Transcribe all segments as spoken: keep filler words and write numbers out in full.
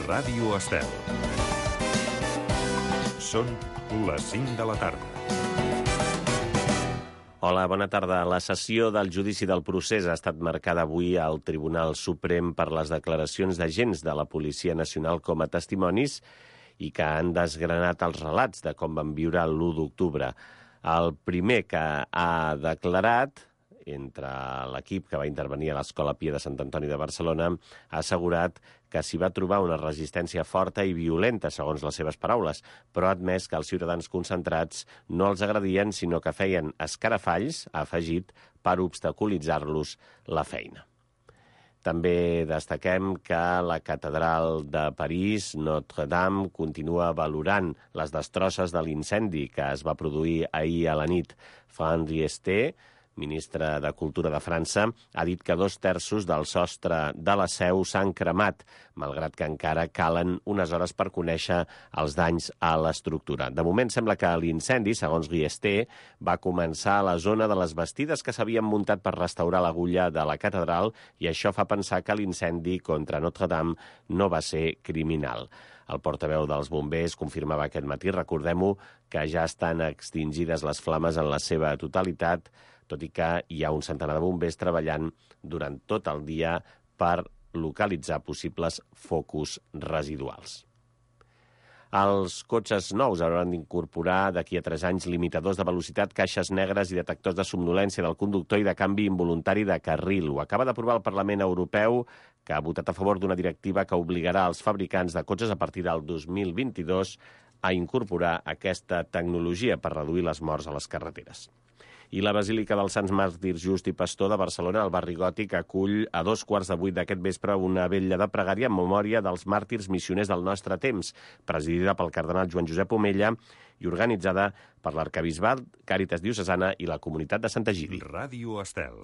Ràdio Estel. Són les cinc de la tarda. Hola, bona tarda. La sessió del judici del procés ha estat marcada avui al Tribunal Suprem per les declaracions d'agents de la Policia Nacional com a testimonis i que han desgranat els relats de com van viure l'u d'octubre. El primer que ha declarat, entre l'equip que va intervenir a l'Escola Pia de Sant Antoni de Barcelona, ha assegurat que s'hi va trobar una resistència forta i violenta, segons les seves paraules, però ha admès que els ciutadans concentrats no els agredien, sinó que feien escarafalls, ha afegit, per obstaculitzar-los la feina. També destaquem que la catedral de París, Notre-Dame, continua valorant les destrosses de l'incendi que es va produir ahir a la nit. Fran Riester, ministre de Cultura de França, ha dit que dos terços del sostre de la seu s'han cremat, malgrat que encara calen unes hores per conèixer els danys a l'estructura. De moment sembla que l'incendi, segons Riester, va començar a la zona de les bastides que s'havien muntat per restaurar l'agulla de la catedral i això fa pensar que l'incendi contra Notre-Dame no va ser criminal. El portaveu dels bombers confirmava aquest matí, recordem-ho, que ja estan extingides les flames en la seva totalitat, tot i que hi ha un centenar de bombers treballant durant tot el dia per localitzar possibles focus residuals. Els cotxes nous hauran d'incorporar d'aquí a tres anys limitadors de velocitat, caixes negres i detectors de somnolència del conductor i de canvi involuntari de carril. Ho acaba d'aprovar el Parlament Europeu, que ha votat a favor d'una directiva que obligarà els fabricants de cotxes a partir del dos mil vint-i-dos a incorporar aquesta tecnologia per reduir les morts a les carreteres. I la Basílica dels Sants Màrtirs Just i Pastor de Barcelona, al barri Gòtic, acull a dos quarts de vuit d'aquest vespre una vetlla de pregària en memòria dels màrtirs missioners del nostre temps, presidida pel cardenal Joan Josep Omella i organitzada per l'Arquebisbat, Càritas Diocesana i la Comunitat de Sant Egidi. Ràdio Estel.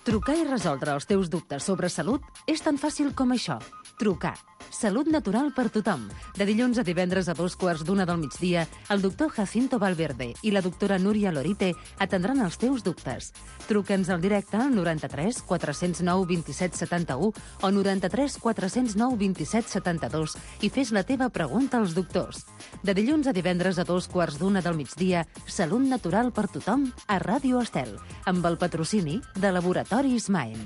Trucar i resoldre els teus dubtes sobre salut és tan fàcil com això. Trucar. Salut natural per tothom. De dilluns a divendres a dos quarts d'una del migdia, el doctor Jacinto Valverde i la doctora Núria Lorite atendran els teus dubtes. Truca'ns al directe al noranta-tres quatre zero nou dos set set u o noranta-tres quatre zero nou dos set set dos i fes la teva pregunta als doctors. De dilluns a divendres a dos quarts d'una del migdia, Salut natural per tothom a Ràdio Estel, amb el patrocini de Laboratoris Maen.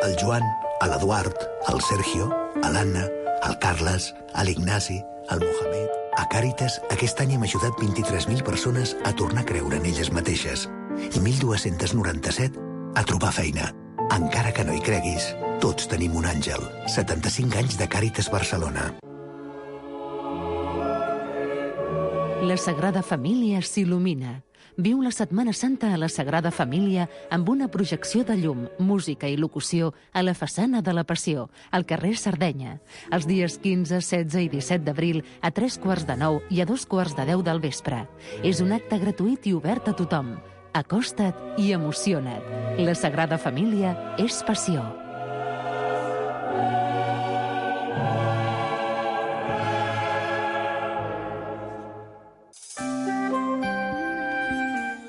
El Joan, l'Eduard, el Sergio, l'Anna, el Carles, l'Ignasi, el Mohamed... A Càritas, aquest any hem ajudat vint-i-tres mil persones a tornar a creure en elles mateixes i mil dos-cents noranta-set a trobar feina. Encara que no hi creguis, tots tenim un àngel. setanta-cinc anys de Càritas Barcelona. La Sagrada Família s'il·lumina. Viu la Setmana Santa a la Sagrada Família amb una projecció de llum, música i locució a la façana de la Passió, al carrer Sardenya, els dies quinze, setze i disset d'abril a tres quarts de nou i a dos quarts de deu del vespre. És un acte gratuït i obert a tothom. Acosta't i emociona't. La Sagrada Família és passió.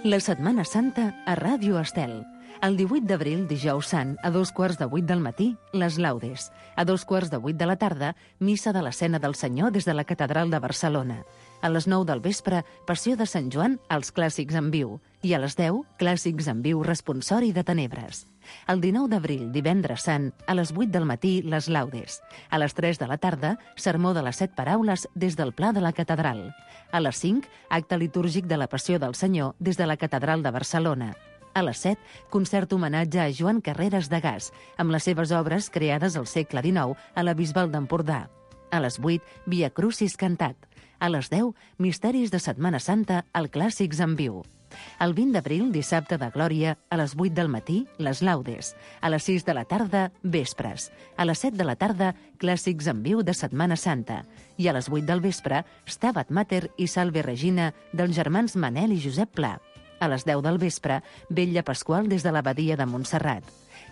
La Setmana Santa a Ràdio Estel. El divuit d'abril, dijous sant, a dos quarts de vuit del matí, les laudes. A dos quarts de vuit de la tarda, missa de l'Escena del Senyor des de la Catedral de Barcelona. A les nou del vespre, Passió de Sant Joan, els clàssics en viu. I a les deu, clàssics en viu, responsori de Tenebres. El dinou d'abril, divendres sant, a les vuit del matí, les laudes. A les tres de la tarda, sermó de les set paraules des del Pla de la Catedral. A les cinc, acte litúrgic de la Passió del Senyor des de la Catedral de Barcelona. A les set, concert homenatge a Joan Carreras de Gas, amb les seves obres creades al segle dinou a la Bisbal d'Empordà. A les vuit, Via Crucis cantat. A les deu, Misteris de Setmana Santa, al Clàssics en viu. El vint d'abril, dissabte de Glòria, a les vuit del matí, les laudes. A les sis de la tarda, vespres. A les set de la tarda, clàssics en viu de Setmana Santa. I a les vuit del vespre, Stabat Mater i Salve Regina dels germans Manel i Josep Pla. A les deu del vespre, vetlla pasqual des de l'abadia de Montserrat.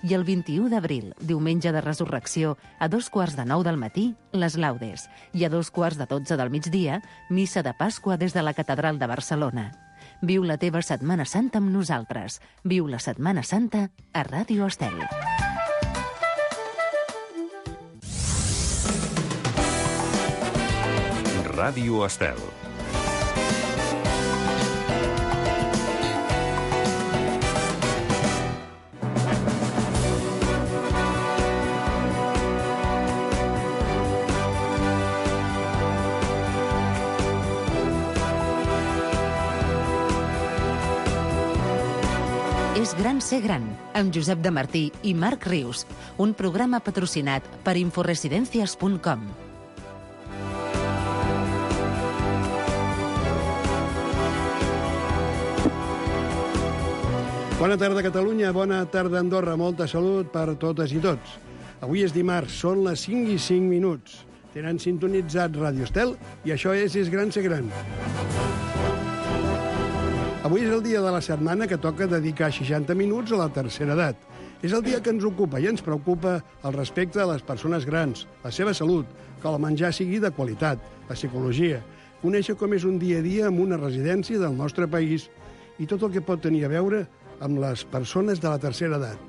I el vint-i-u d'abril, diumenge de Resurrecció, a dos quarts de nou del matí, les laudes. I a dos quarts de dotze del migdia, missa de Pasqua des de la Catedral de Barcelona. Viu la teva Setmana Santa amb nosaltres. Viu la Setmana Santa a Ràdio Estel. Ràdio Estel. És gran ser gran, amb Josep de Martí i Marc Rius, un programa patrocinat per inforesidencias punt com. Bona tarda, Catalunya. Bona tarda, Andorra. Molta salut per totes i tots. Avui és dimarts, són les cinc i cinc minuts. Tenen sintonitzat Ràdio Estel i això és És gran ser gran. Avui és el dia de la setmana que toca dedicar seixanta minuts a la tercera edat. És el dia que ens ocupa i ens preocupa el respecte a les persones grans, la seva salut, que el menjar sigui de qualitat, la psicologia, conèixer com és un dia a dia en una residència del nostre país i tot el que pot tenir a veure amb les persones de la tercera edat.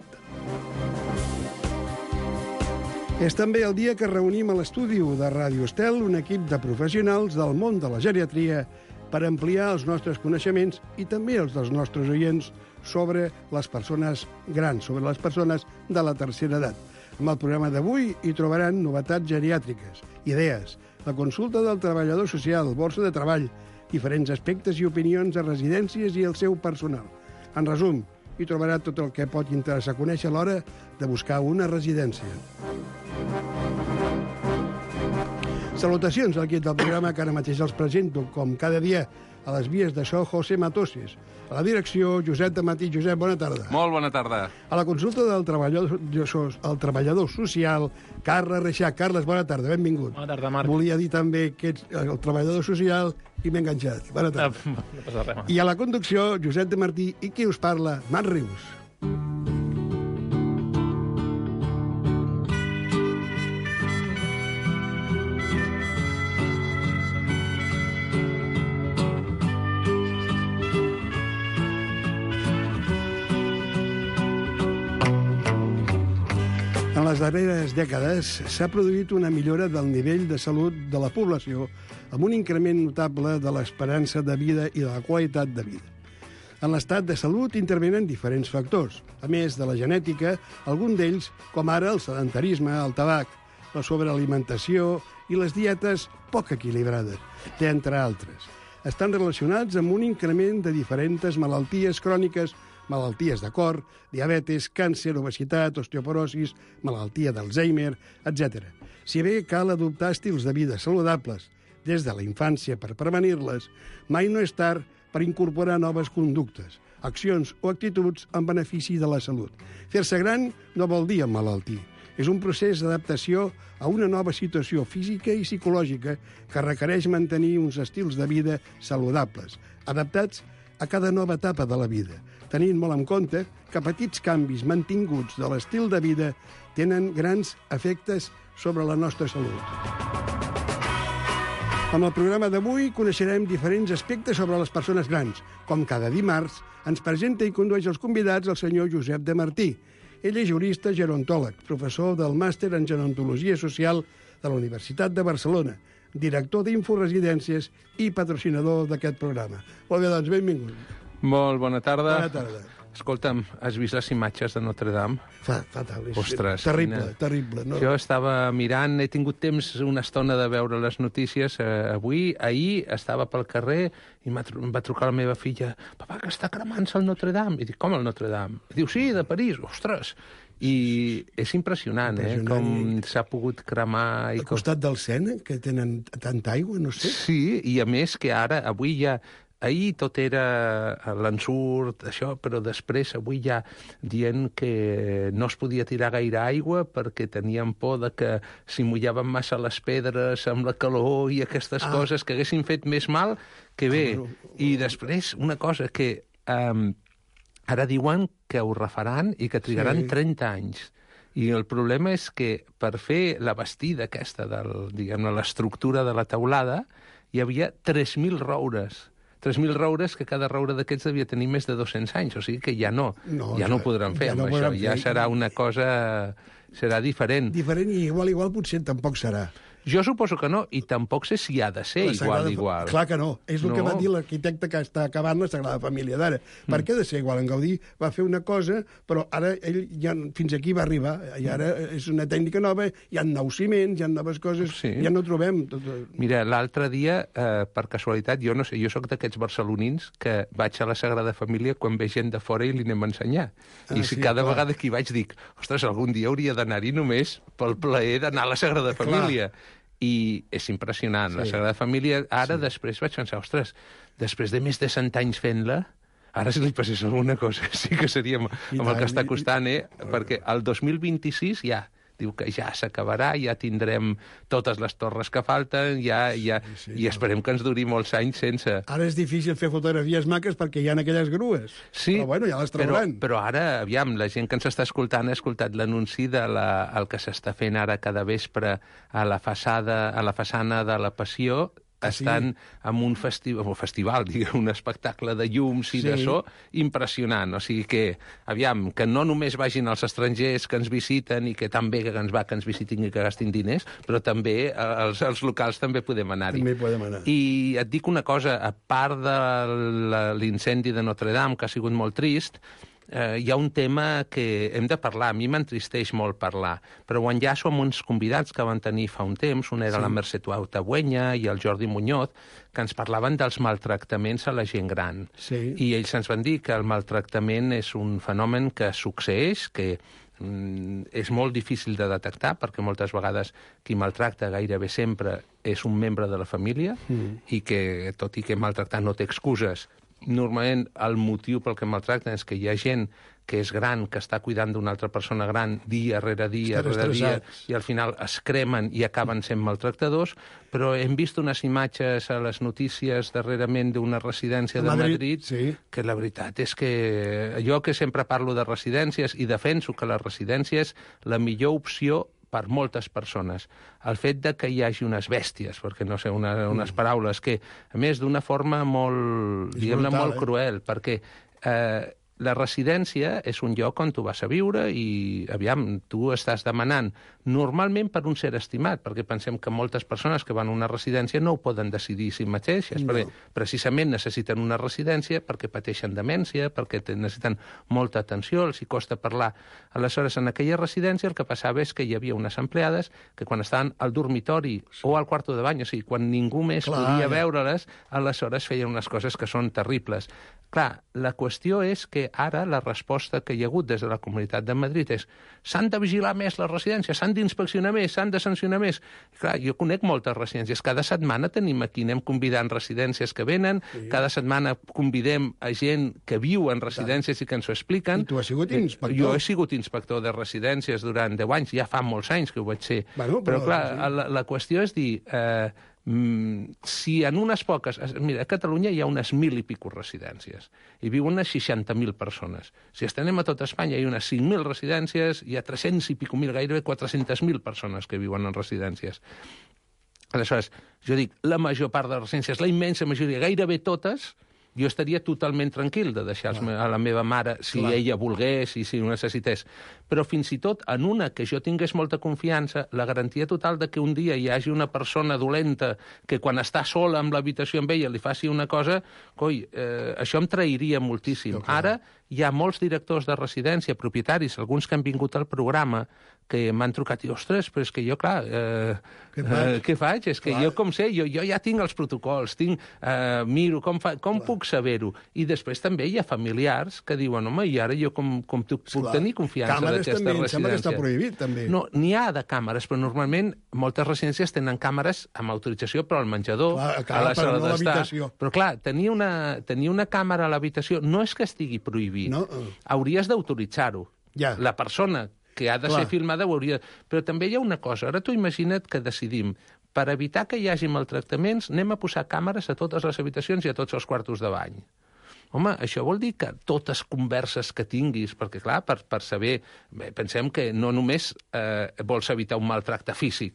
És també el dia que reunim a l'estudi de Ràdio Estel un equip de professionals del món de la geriatria per ampliar els nostres coneixements i també els dels nostres oients sobre les persones grans, sobre les persones de la tercera edat. En el programa d'avui hi trobaran novetats geriàtriques, idees, la consulta del treballador social, borsa de treball, diferents aspectes i opinions a residències i el seu personal. En resum, hi trobarà tot el que pot interessar conèixer a l'hora de buscar una residència. Salutacions al equip del programa que ara mateix els presento, com cada dia, a les vies de so, José Matoses. A la direcció, Josep de Matí. Josep, bona tarda. Molt bona tarda. A la consulta del treballador, el treballador social, Carles Reixac. Carles, bona tarda, benvingut. Bona tarda, Marc. Volia dir també que ets el treballador social i m'he enganxat. Bona tarda. No, no passa res. I a la conducció, Josep de Martí. I qui us parla? Marc Rius. En les darreres dècades s'ha produït una millora del nivell de salut de la població amb un increment notable de l'esperança de vida i de la qualitat de vida. En l'estat de salut intervenen diferents factors, a més de la genètica, algun d'ells, com ara el sedentarisme, el tabac, la sobrealimentació i les dietes poc equilibrades, entre altres. Estan relacionats amb un increment de diferents malalties cròniques, malalties de cor, diabetes, càncer, obesitat, osteoporosis, malaltia d'Alzheimer, etcètera. Si bé cal adoptar estils de vida saludables des de la infància per prevenir-les, mai no és tard per incorporar noves conductes, accions o actituds en benefici de la salut. Fer-se gran no vol dir emmalaltir. És un procés d'adaptació a una nova situació física i psicològica que requereix mantenir uns estils de vida saludables, adaptats a cada nova etapa de la vida, tenint molt en compte que petits canvis mantinguts de l'estil de vida tenen grans efectes sobre la nostra salut. Amb el programa d'avui coneixerem diferents aspectes sobre les persones grans. Com cada dimarts, ens presenta i condueix els convidats el senyor Josep de Martí. Ell és jurista gerontòleg, professor del màster en gerontologia social de la Universitat de Barcelona, director d'Inforesidències i patrocinador d'aquest programa. Molt bé, doncs, benvingut. Molt bona tarda. Bona tarda. Escolta'm, has vist les imatges de Notre Dame? Fa, fatal. És Ostres, terrible, quina... terrible. No? Jo estava mirant, he tingut temps una estona de veure les notícies eh, avui. Ahir estava pel carrer i em va trucar la meva filla. Papa, que està cremant-se el Notre Dame. I dic, com el Notre Dame? I diu, sí, de París. Ostres! I és impressionant, impressionant. eh, com s'ha pogut cremar... Al costat del Sena, que tenen tanta aigua, no sé. Sí, i a més que ara, avui ja... Ahir tot era l'ensurt, això, però després avui ja dient que no es podia tirar gaire aigua perquè tenien por de que si mullaven massa les pedres amb la calor i aquestes ah. coses que haguessin fet més mal que bé. Ah, però... I després una cosa que um, ara diuen que ho refaran i que trigaran sí. trenta anys. I el problema és que per fer la bastida aquesta, del, diguem-ne, l'estructura de la teulada, hi havia tres mil roures. tres mil roures, que cada roure d'aquests devia tenir més de dos-cents anys, o sigui que ja no, no ja no ho podran fer ja amb no això, ja fer. serà una cosa, serà diferent. Diferent i igual, igual potser tampoc serà. Jo suposo que no, i tampoc sé si ha de ser igual, Sagrada... igual. Clar que no. És el No. que va dir l'arquitecte que està acabant la Sagrada Família d'ara. Mm. Per què ha de ser igual? En Gaudí va fer una cosa, però ara ell ja fins aquí va arribar, i ara és una tècnica nova, hi ha nous ciments, hi ha noves coses, Sí. ja no trobem... Tot... Mira, l'altre dia, eh, per casualitat, jo no sé, jo sóc d'aquests barcelonins que vaig a la Sagrada Família quan ve gent de fora i li anem a ensenyar. Ah, I sí, si cada clar. vegada que hi vaig dic, ostres, algun dia hauria d'anar-hi només pel plaer d'anar a la Sagrada Família. I és impressionant. Sí. La Sagrada Família, ara sí. després vaig pensar, ostres, després de més de cent anys fent-la, ara si li passés alguna cosa sí que seria amb, amb el que està costant, eh? Perquè el dos mil vint-i-sis ja, diu que ja s'acabarà, ja tindrem totes les torres que falten, ja, ja, sí, sí, i esperem que ens duri molts anys sense... Ara és difícil fer fotografies maques perquè hi ha aquelles grues. Sí, però bueno, ja les però, trauran. però ara, aviam, la gent que ens està escoltant ha escoltat l'anunci de la, el que s'està fent ara cada vespre a la façada, a la façana de la Passió. Ah, sí? Estan en un festival, un festival, diguem, un espectacle de llums i Sí. de so impressionant. O sigui que, aviam, que no només vagin els estrangers que ens visiten i que tan bé que ens va que ens visitin i que gastin diners, però també eh, els, els locals també podem anar-hi. També podem anar. I et dic una cosa, a part de la- l'incendi de Notre Dame, que ha sigut molt trist, eh, hi ha un tema que hem de parlar. A mi m'entristeix molt parlar, però quan ja som uns convidats que van tenir fa un temps, un era Sí. la Mercè Tabuenya i el Jordi Muñoz, que ens parlaven dels maltractaments a la gent gran. Sí. I ells ens van dir que el maltractament és un fenomen que succeeix, que mm, és molt difícil de detectar, perquè moltes vegades qui maltracta gairebé sempre és un membre de la família, mm. i que, tot i que maltractar no té excuses, normalment el motiu pel que maltracten és que hi ha gent que és gran, que està cuidant d'una altra persona gran dia rere dia, Estan rere dia, estressats. i al final es cremen i acaben sent maltractadors, però hem vist unes imatges a les notícies darrerament d'una residència A de Madrid, Madrid, sí. que la veritat és que jo que sempre parlo de residències i defenso que la residència és la millor opció per moltes persones. El fet de que hi hagi unes bèsties, perquè no sé, una, unes paraules que, a més, d'una forma molt, És diguem-ne, brutal, molt eh? cruel, perquè eh, la residència és un lloc on tu vas a viure i, aviam, tu estàs demanant normalment per un ser estimat, perquè pensem que moltes persones que van a una residència no ho poden decidir si mateixes, No. perquè precisament necessiten una residència perquè pateixen demència, perquè te- necessiten molta atenció, els hi costa parlar. Aleshores, en aquella residència el que passava és que hi havia unes empleades que quan estaven al dormitori o al quarto de bany, o sigui, quan ningú més Clar, podia ja. veure-les, aleshores feien unes coses que són terribles. Clar, la qüestió és que ara la resposta que hi ha hagut des de la Comunitat de Madrid és s'han de vigilar més les residències, s'han d'inspeccionar més, s'han de sancionar més. I clar, jo conec moltes residències. Cada setmana tenim aquí, anem convidant residències que venen, sí. Cada setmana convidem a gent que viu en residències i que ens ho expliquen. I tu has sigut inspector. Jo he sigut inspector de residències durant deu anys, ja fa molts anys que ho vaig ser. Bueno, però, però, clar, sí. la, la qüestió és dir... Eh, Mm, si en unes poques... Mira, a Catalunya hi ha unes mil i pico residències i viuen unes seixanta mil persones. Si estenem a tot Espanya hi ha unes cinc mil residències, hi ha tres-cents i pico mil, gairebé quatre-centes mil persones que viuen en residències. Aleshores, jo dic, la major part de les residències, la immensa majoria, gairebé totes, jo estaria totalment tranquil de deixar a la meva mare si Clar. ella volgués i si ho necessités. Però fins i tot en una que jo tingués molta confiança, la garantia total de que un dia hi hagi una persona dolenta que quan està sola amb l'habitació amb ella li faci una cosa, coi, eh, això em trairia moltíssim. Sí, clar. Ara hi ha molts directors de residència, propietaris, alguns que han vingut al programa, que m'han trucat i, ostres, però és que jo, clar, eh, Què faig? eh, què faig? És que Clar. jo, com sé, jo, jo ja tinc els protocols, tinc, eh, miro com, fa, com puc saber-ho. I després també hi ha familiars que diuen, home, i ara jo com, com tu, puc Esclar. tenir confiança Càmeres d'aquesta també, em residència? sembla que està prohibit, també. No, n'hi ha de càmeres, però normalment moltes residències tenen càmeres amb autorització, però al menjador, Clar, clar, a la però sala no a d'estar. l'habitació. Però clar, tenir una, tenir una càmera a l'habitació no és que estigui prohibit. No. Hauries d'autoritzar-ho. Ja. La persona que ha de Clar. ser filmada ho hauria... Però també hi ha una cosa. Ara tu imagina't que decidim, per evitar que hi hagi maltractaments, anem a posar càmeres a totes les habitacions i a tots els quartos de bany. Home, això vol dir que totes converses que tinguis, perquè, clar, per, per saber... Bé, pensem que no només eh, vols evitar un maltracte físic,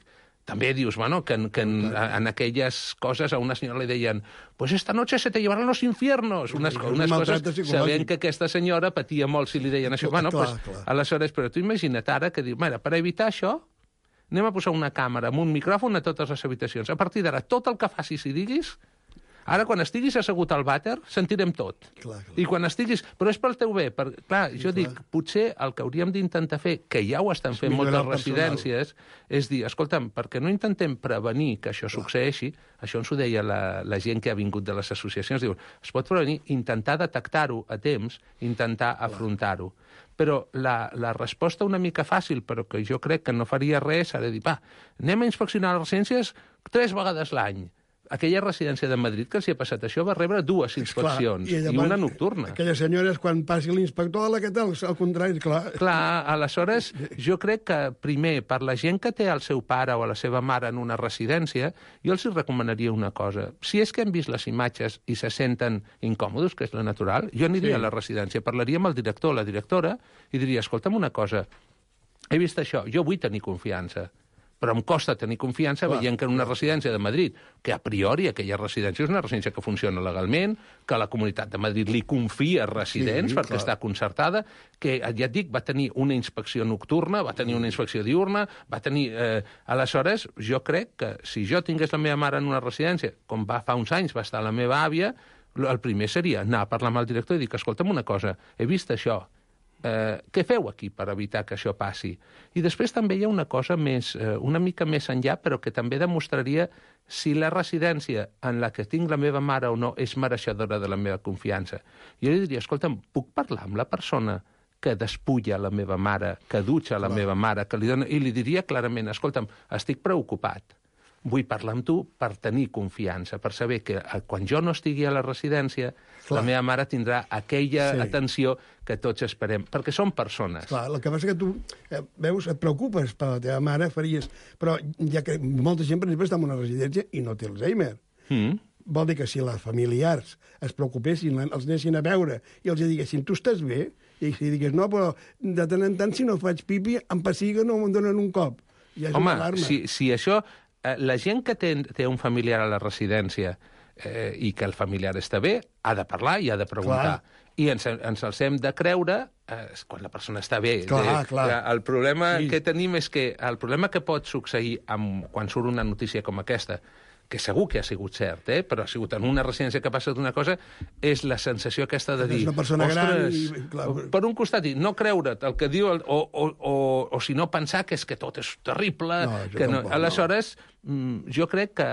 també dius, bueno, que, en, que en, en aquelles coses a una senyora li deien pues esta noche se te llevarán los infiernos, unes, Sí, unes maltracte coses, psicològic. sabent que aquesta senyora patia molt si li deien això. Clar, Bueno, clar, pues, clar. aleshores, però tu imagina't ara que diu, mira, per evitar això, anem a posar una càmera amb un micròfon a totes les habitacions. A partir d'ara, tot el que facis i diguis, ara, quan estiguis assegut al vàter, sentirem tot. Clar, clar. I quan estiguis... Però és pel teu bé. Per... Clar, Sí, jo clar. dic, potser el que hauríem d'intentar fer, que ja ho estan És fent millorar moltes el personal. residències, és dir, escolta'm, per què no intentem prevenir que això succeeixi? Això ens ho deia la, la gent que ha vingut de les associacions. Diu, es pot prevenir, intentar detectar-ho a temps, intentar afrontar-ho. Però la, la resposta una mica fàcil, però que jo crec que no faria res, serà dir, va, anem a inspeccionar les residències tres vegades l'any. Aquella residència de Madrid que els hi ha passat això va rebre dues inspeccions, Clar, i, i una nocturna. Aquelles senyores, quan passi l'inspector, la que tal, al contrari, clar. Clar, aleshores, jo crec que, primer, per la gent que té el seu pare o la seva mare en una residència, jo els recomanaria una cosa. Si és que han vist les imatges i se senten incòmodes, que és la natural, jo aniria Sí. a la residència, parlaria amb el director o la directora i diria, escolta'm una cosa, he vist això, jo vull tenir confiança, però em costa tenir confiança Clar, veient que en una residència de Madrid, que a priori aquella residència és una residència que funciona legalment, que la Comunitat de Madrid li confia residents Sí, perquè clar. està concertada, que, ja et dic, va tenir una inspecció nocturna, va tenir una inspecció diurna, va tenir... Eh, aleshores, jo crec que si jo tingués la meva mare en una residència, com va fa uns anys va estar la meva àvia, el primer seria anar a parlar amb el director i dir, escolta'm una cosa, he vist això, Eh, què feu aquí per evitar que això passi? I després també hi ha una cosa més, eh, una mica més enllà, però que també demostraria si la residència en la que tinc la meva mare o no és mereixedora de la meva confiança. Jo li diria, escolta'm, puc parlar amb la persona que despulla la meva mare, que dutxa la Clar. meva mare, que li dona... i li diria clarament, escolta'm, estic preocupat, vull parlar amb tu per tenir confiança, per saber que eh, quan jo no estigui a la residència, Clar. la meva mare tindrà aquella Sí. atenció que tots esperem, perquè són persones. Clar, el que passa que tu, eh, veus, et preocupes per la teva mare, faries... Però ja que molta gent, per exemple, està en una residència i no té Alzheimer. Mm. Vol dir que si les familiars es preocupessin, els anessin a veure i els diguessin, tu estàs bé? I si digués, no, però de tant en tant, si no faig pipi, em passiga, no em donen un cop. Ja és Home, una alarma. si, si això... Eh, la gent que té, té un familiar a la residència eh, i que el familiar està bé, ha de parlar i ha de preguntar. Clar. I ens, ens els hem de creure eh, quan la persona està bé. Clar, de, clar. El problema Sí. que tenim és que el problema que pot succeir amb, quan surt una notícia com aquesta, que segur que ha sigut cert, eh? però ha sigut en una residència que ha passat una cosa, és la sensació aquesta de És dir... una persona gran "Ostres", i, clar, per un costat, dir, no creure't el que diu, el, o, o, o, o si no pensar que és que tot és terrible... No, jo que no. tampoc, no. Aleshores, mm, jo crec que...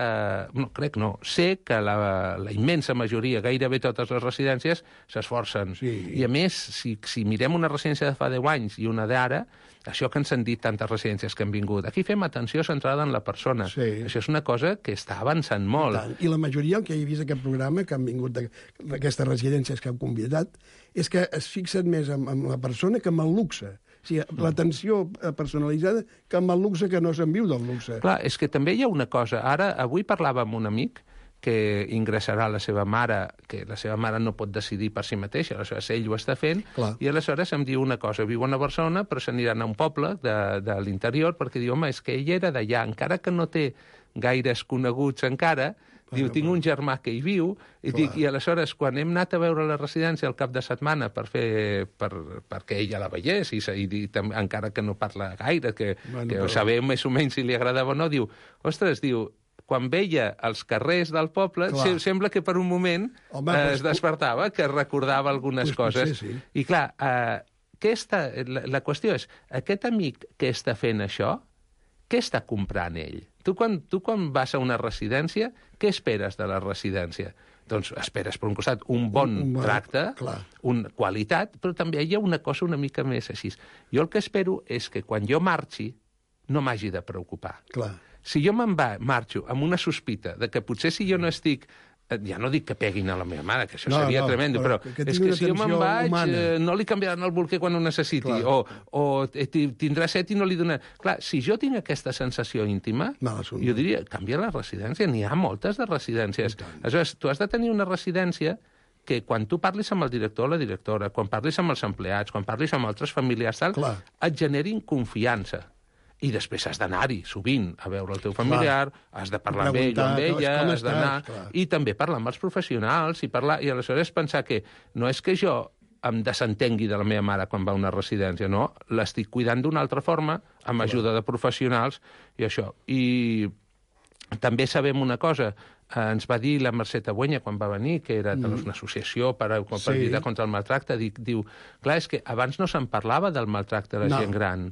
No, crec no. Sé que la, la immensa majoria, gairebé totes les residències, s'esforcen. Sí. I a més, si, si mirem una residència de fa deu anys i una d'ara, això que ens han dit tantes residències que han vingut, aquí fem atenció centrada en la persona. Sí. Això és una cosa que està avançant molt. Tant. I la majoria, el que he vist aquest programa, que han vingut d'aquestes residències que han convidat, és que es fixen més en, en la persona que en el luxe. O sigui, l'atenció personalitzada que en el luxe, que no se'n viu del luxe. Clar, és que també hi ha una cosa. Ara, avui parlava amb un amic que ingressarà la seva mare, que la seva mare no pot decidir per si mateixa, aleshores ell ho està fent, Clar. i aleshores em diu una cosa, viuen a Barcelona, però s'aniran a un poble de, de l'interior, perquè diu, home, és que ell era d'allà, encara que no té gaires coneguts encara, diu, tinc un germà que hi viu, i, dic, i aleshores, quan hem anat a veure la residència al cap de setmana per fer, per, perquè ella la veiés, i, i, i tam, encara que no parla gaire, que, Bueno, que però- sabem més o menys si li agradava o no, diu, ostres, diu, quan veia els carrers del poble, Clar. se, sembla que per un moment Home, eh, pues, es despertava, que recordava algunes pues potser coses. sí. I clar, eh, què està, la, la qüestió és, aquest amic que està fent això, què està comprant ell? Tu quan, tu quan vas a una residència, què esperes de la residència? Doncs esperes, per un costat, un bon Un- un bon- tracte, clar. una qualitat, però també hi ha una cosa una mica més així. Jo el que espero és que quan jo marxi no m'hagi de preocupar. Clar. Si jo me'n va, marxo amb una sospita de que potser si jo no estic... eh, Ja no dic que peguin a la meva mare, que això No, seria no, tremendo, però però, que és tingui que una si jo me'n atenció vaig, humana. eh, no li canviaran el bolquer quan ho necessiti, Clar. o, o eh, ti- tindrà set i no li donaran... Clar, si jo tinc aquesta sensació íntima, Mal assumpte. jo diria, canvia la residència, n'hi ha moltes de residències. Aleshores, tu has de tenir una residència que quan tu parlis amb el director o la directora, quan parlis amb els empleats, quan parlis amb altres familiars, tal, Clar. et generin confiança. I després has d'anar-hi sovint a veure el teu familiar, has de parlar amb ell o amb Preguntar, ella, com has d'anar... estàs, clar. I també parlar amb els professionals, i, parlar, i aleshores pensar que no és que jo em desentengui de la meva mare quan va a una residència, no. L'estic cuidant d'una altra forma, amb ajuda de professionals i això. I també sabem una cosa, ens va dir la Mercè Tabuenya quan va venir, que era mm. una associació per, per sí. lluitar contra el maltracte, diu, clar, és que abans no se'n parlava del maltracte de la no. gent gran,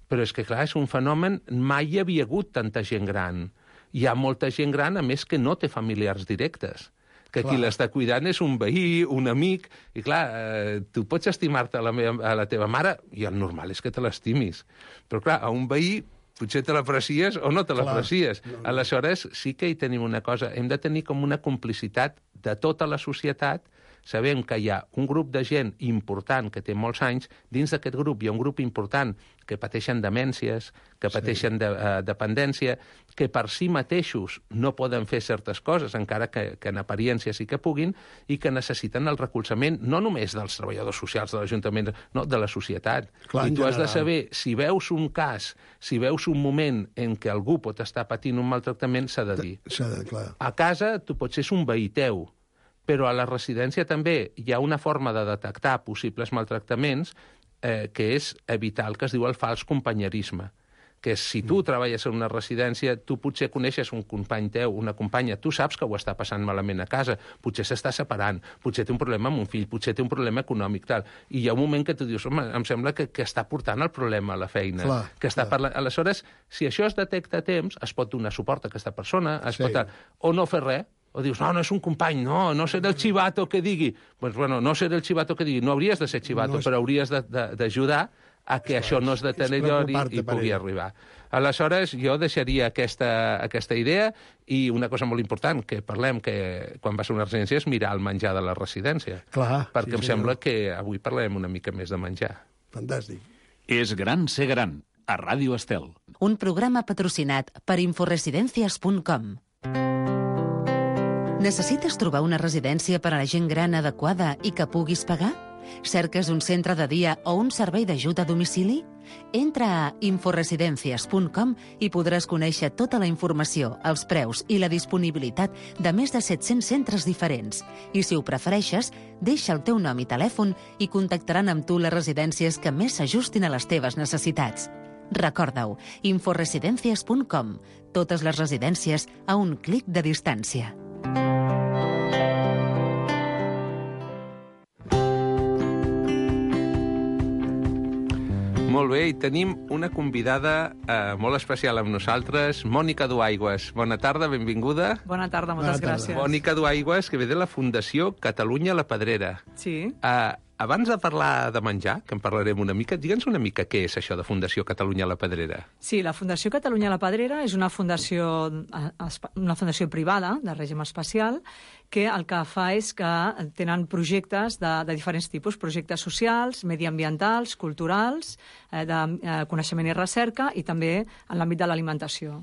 però és que, clar, és un fenomen, mai hi havia hagut tanta gent gran. Hi ha molta gent gran, a més, que no té familiars directes, que clar. Qui l'està cuidant és un veí, un amic, i clar, eh, tu pots estimar-te a, la meva, a la teva mare, i el normal és que te l'estimis, però clar, a un veí potser te l'aprecies o no te l'aprecies. No, no. Aleshores, sí que hi tenim una cosa, hem de tenir com una complicitat de tota la societat. Sabem que hi ha un grup de gent important que té molts anys, dins d'aquest grup hi ha un grup important que pateixen demències, que pateixen sí. de, uh, dependència, que per si mateixos no poden fer certes coses, encara que, que en apariència sí que puguin, i que necessiten el recolzament no només dels treballadors socials de l'Ajuntament, no, de la societat. Clar, I tu has de saber, si veus un cas, si veus un moment en què algú pot estar patint un maltractament, s'ha de dir. S'ha de, clar. A casa tu pots ser un veí teu, però a la residència també hi ha una forma de detectar possibles maltractaments eh, que és evitar el que es diu el fals companyerisme, que si tu mm. treballes en una residència, tu potser coneixes un company teu, una companya, tu saps que ho està passant malament a casa, potser s'està separant, potser té un problema amb un fill, potser té un problema econòmic, tal, i hi ha un moment que tu dius, home, em sembla que, que està portant el problema a la feina, clar, que està clar. parlant... Aleshores, si això es detecta a temps, es pot donar suport a aquesta persona, es sí. pot... o no fer res, o dius, no, no és un company, no, no seré el xivato que digui. Doncs, pues, bueno, no seré el xivato que digui. No hauries de ser xivato, no és... però hauries d'ajudar a que Clar, això no es deteriori i pugui arribar. Aleshores, jo deixaria aquesta, aquesta idea i una cosa molt important, que parlem que quan vas a una residència és mirar el menjar de la residència. Clar, perquè sí, em sí, sembla no. que avui parlem una mica més de menjar. Fantàstic. És gran ser gran, a Ràdio Estel. Un programa patrocinat per inforesidencias punt com. Necessites trobar una residència per a la gent gran adequada i que puguis pagar? Cerques un centre de dia o un servei d'ajuda a domicili? Entra a inforesidencias punt com i podràs conèixer tota la informació, els preus i la disponibilitat de més de set-cents centres diferents. I si ho prefereixes, deixa el teu nom i telèfon i contactaran amb tu les residències que més s'ajustin a les teves necessitats. Recorda-ho, inforesidencias punt com. Totes les residències a un clic de distància. Molt bé, i tenim una convidada eh, molt especial amb nosaltres, Mònica Duaigües. Bona tarda, benvinguda. Bona tarda, moltes Bona tarda. gràcies. Mònica Duaigües, que ve de la Fundació Catalunya la Pedrera. Sí. Eh, abans de parlar de menjar, que en parlarem una mica, digue'ns una mica què és això de Fundació Catalunya la Pedrera. Sí, la Fundació Catalunya la Pedrera és una fundació, una fundació privada de règim especial que el que fa és que tenen projectes de, de diferents tipus, projectes socials, mediambientals, culturals, eh, de eh, coneixement i recerca i també en l'àmbit de l'alimentació.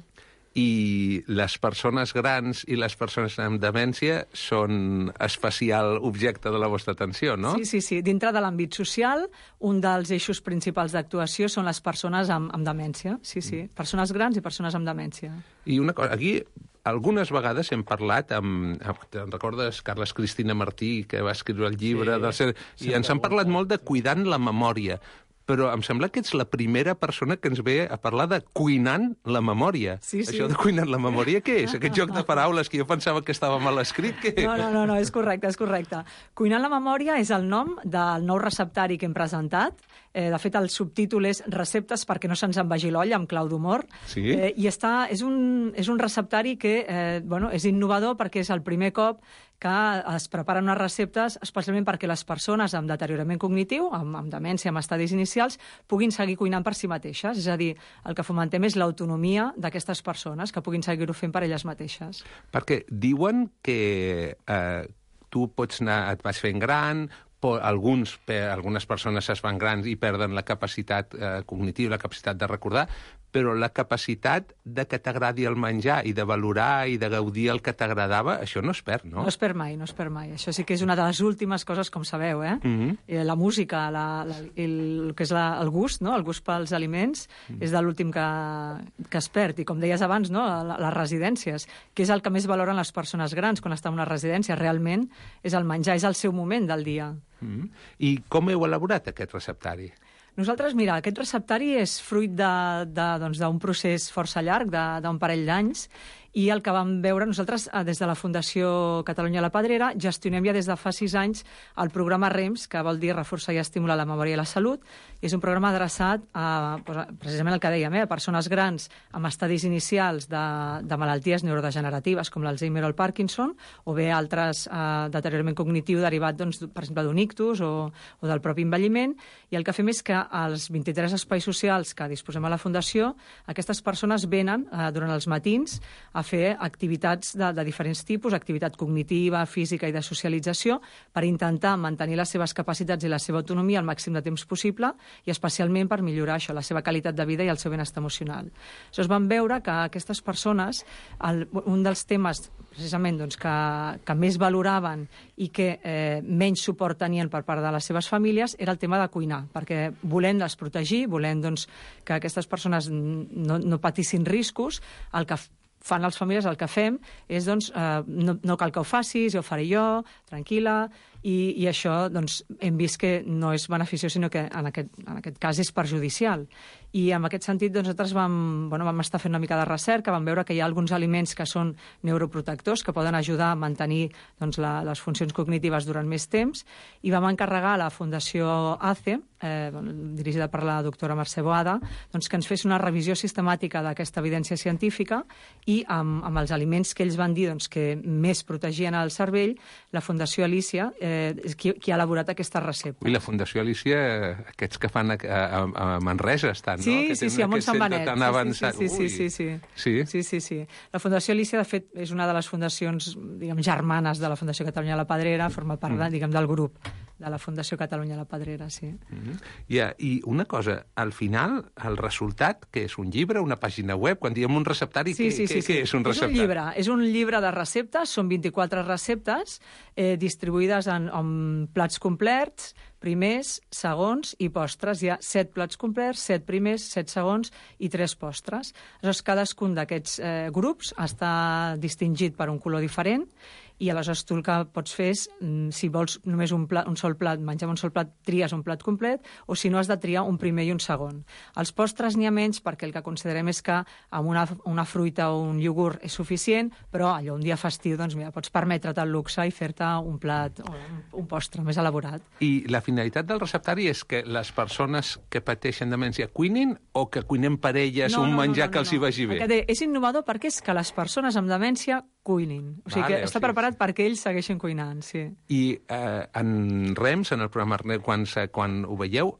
I les persones grans i les persones amb demència són especial objecte de la vostra atenció, no? Sí, sí, sí. Dintre de l'àmbit social, un dels eixos principals d'actuació són les persones amb, amb demència. Sí, sí. Persones grans i persones amb demència. I una cosa, aquí algunes vegades hem parlat amb, amb te'n recordes, Carles Cristina Martí, que va escriure el llibre, sí, del ser, i ens han parlat molt de cuidant la memòria. Però em sembla que ets la primera persona que ens ve a parlar de cuinant la memòria. Sí, sí. Això de cuinant la memòria, què és? Aquest joc de paraules que jo pensava que estava mal escrit, què? No, no, no, no, és correcte, és correcte. Cuinant la memòria és el nom del nou receptari que hem presentat. Eh, de fet, el subtítol és Receptes perquè no se'ns envagi l'olla, amb clau d'humor. Sí? Eh, I està, és, un, és un receptari que eh, bueno, és innovador perquè és el primer cop que es preparen unes receptes especialment perquè les persones amb deteriorament cognitiu, amb, amb demència, amb estadis inicials, puguin seguir cuinant per si mateixes. És a dir, el que fomentem és l'autonomia d'aquestes persones, que puguin seguir-ho fent per elles mateixes. Perquè diuen que eh, tu pots anar, et vas fent gran, alguns, algunes persones es fan grans i perden la capacitat eh, cognitiva, la capacitat de recordar, però la capacitat de que t'agradi el menjar i de valorar i de gaudir el que t'agradava, això no es perd, no? No es perd mai, no es perd mai. Això sí que és una de les últimes coses, com sabeu, eh? Mm-hmm. La música, la, la, el, el que és la, el gust, no? El gust pels aliments, mm. és de l'últim que, que es perd. I com deies abans, no? Les residències, que és el que més valoren les persones grans quan estan en una residència, realment és el menjar, és el seu moment del dia. Mm-hmm. I com heu elaborat aquest receptari? Nosaltres, mira, aquest receptari és fruit d'un de, de, doncs, procés força llarg, d'un parell d'anys, i el que vam veure nosaltres des de la Fundació Catalunya la Pedrera gestionem ja des de fa sis anys el programa REMS, que vol dir Reforçar i Estimular la Memòria i la Salut, i és un programa adreçat a, precisament el que dèiem, eh, a persones grans amb estadis inicials de, de malalties neurodegeneratives com l'Alzheimer o el Parkinson, o bé altres eh, deteriorament cognitiu derivat, doncs, per exemple, d'un ictus o, o del propi envelliment, i el que fem és que als vint-i-tres espais socials que disposem a la Fundació, aquestes persones venen eh, durant els matins a fer activitats de, de diferents tipus, activitat cognitiva, física i de socialització, per intentar mantenir les seves capacitats i la seva autonomia el màxim de temps possible i especialment per millorar això, la seva qualitat de vida i el seu benestar emocional. Llavors vam veure que aquestes persones, el, un dels temes precisament doncs, que, que més valoraven i que eh, menys suport tenien per part de les seves famílies era el tema de cuinar, perquè volent les protegir, volent doncs, que aquestes persones no, no patissin riscos, el que fan les famílies, el que fem és, doncs, eh, no, no cal que ho facis, jo ho faré jo, tranquil·la, i, i això, doncs, hem vist que no és beneficiós, sinó que en aquest, en aquest cas és perjudicial. I en aquest sentit, doncs, nosaltres vam, bueno, vam estar fent una mica de recerca, vam veure que hi ha alguns aliments que són neuroprotectors, que poden ajudar a mantenir doncs, la, les funcions cognitives durant més temps, i vam encarregar a la Fundació A C E, eh, dirigida per la doctora Mercè Boada, doncs, que ens fes una revisió sistemàtica d'aquesta evidència científica i amb, amb els aliments que ells van dir doncs, que més protegien el cervell, la Fundació Alícia eh, és qui, qui ha elaborat aquesta recepta. I la Fundació Alícia, aquests que fan a, a, a Manresa estan, sí, no? Que sí, sí, a Montsant Benet. Tan avançat. Sí, sí, sí, sí, sí. Sí? Sí, sí, sí. La Fundació Alícia, de fet, és una de les fundacions, diguem, germanes de la Fundació Catalunya la Pedrera, forma part, mm. diguem, del grup de la Fundació Catalunya la Pedrera, sí. Mm-hmm. Yeah, I una cosa, al final, el resultat, que és un llibre, una pàgina web, quan diem un receptari, sí, sí, sí, què, sí. què és un receptari? És un llibre, és un llibre de receptes, són vint-i-quatre receptes eh, distribuïdes en, en plats complets, primers, segons i postres. Hi ha set plats complets, set primers, set segons i tres postres. Aleshores, cadascun d'aquests eh, grups està distingit per un color diferent i aleshores tu el que pots fer és, si vols només un, plat, un sol plat, menjar un sol plat, tries un plat complet, o si no has de triar un primer i un segon. Els postres n'hi ha menys perquè el que considerem és que amb una, una fruita o un iogurt és suficient, però allò un dia festiu, doncs mira, pots permetre't el luxe i fer-te un plat o un, un postre més elaborat. I la finalitat del receptari és que les persones que pateixen demència cuinin o que cuinem per elles no, un no, menjar no, no, que els hi vagi bé? Deia, és innovador perquè és que les persones amb demència cuinin. O sigui vale, que està o sigui, preparat perquè ells segueixen cuinant, sí. I eh, en REMS, en el programa REMS, quan, quan ho veieu,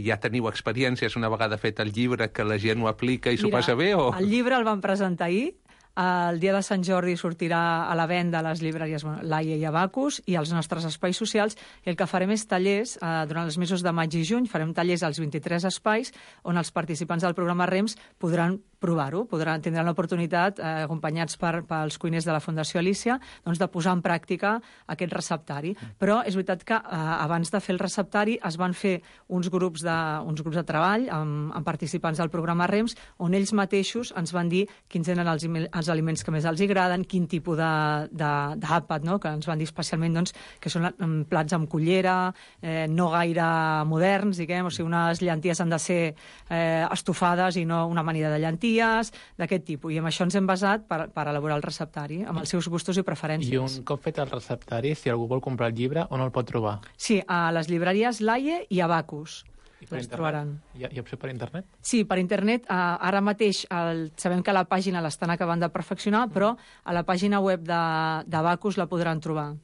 ja teniu experiències una vegada fet el llibre que la gent ho aplica i s'ho passa bé? O... el llibre el vam presentar ahir. El dia de Sant Jordi sortirà a la venda a les llibreries Laia i Abacus i als nostres espais socials, i el que farem és tallers eh, durant els mesos de maig i juny, farem tallers als vint-i-tres espais on els participants del programa REMS podran provar-ho, podran tindran l'oportunitat, eh, acompanyats per, pels cuiners de la Fundació Alícia, doncs de posar en pràctica aquest receptari. Però és veritat que eh, abans de fer el receptari es van fer uns grups de, uns grups de treball amb, amb participants del programa REMS on ells mateixos ens van dir quins eren els, els aliments que més els agraden, quin tipus d'àpat, no? Que ens van dir especialment doncs, que són plats amb cullera, eh, no gaire moderns, diguem, o sigui, unes llenties han de ser eh, estofades i no una amanida de llenties, d'aquest tipus. I amb això ens hem basat per, per elaborar el receptari, amb els seus gustos i preferències. I un cop fet el receptari, si algú vol comprar el llibre, on el pot trobar? Sí, a les llibreries Laie i Abacus. I per els trobaran. Hi ha, hi ha opció per internet? Sí, per internet. Eh, ara mateix el, sabem que la pàgina l'estan acabant de perfeccionar, però a la pàgina web d'Abacus la podran trobar.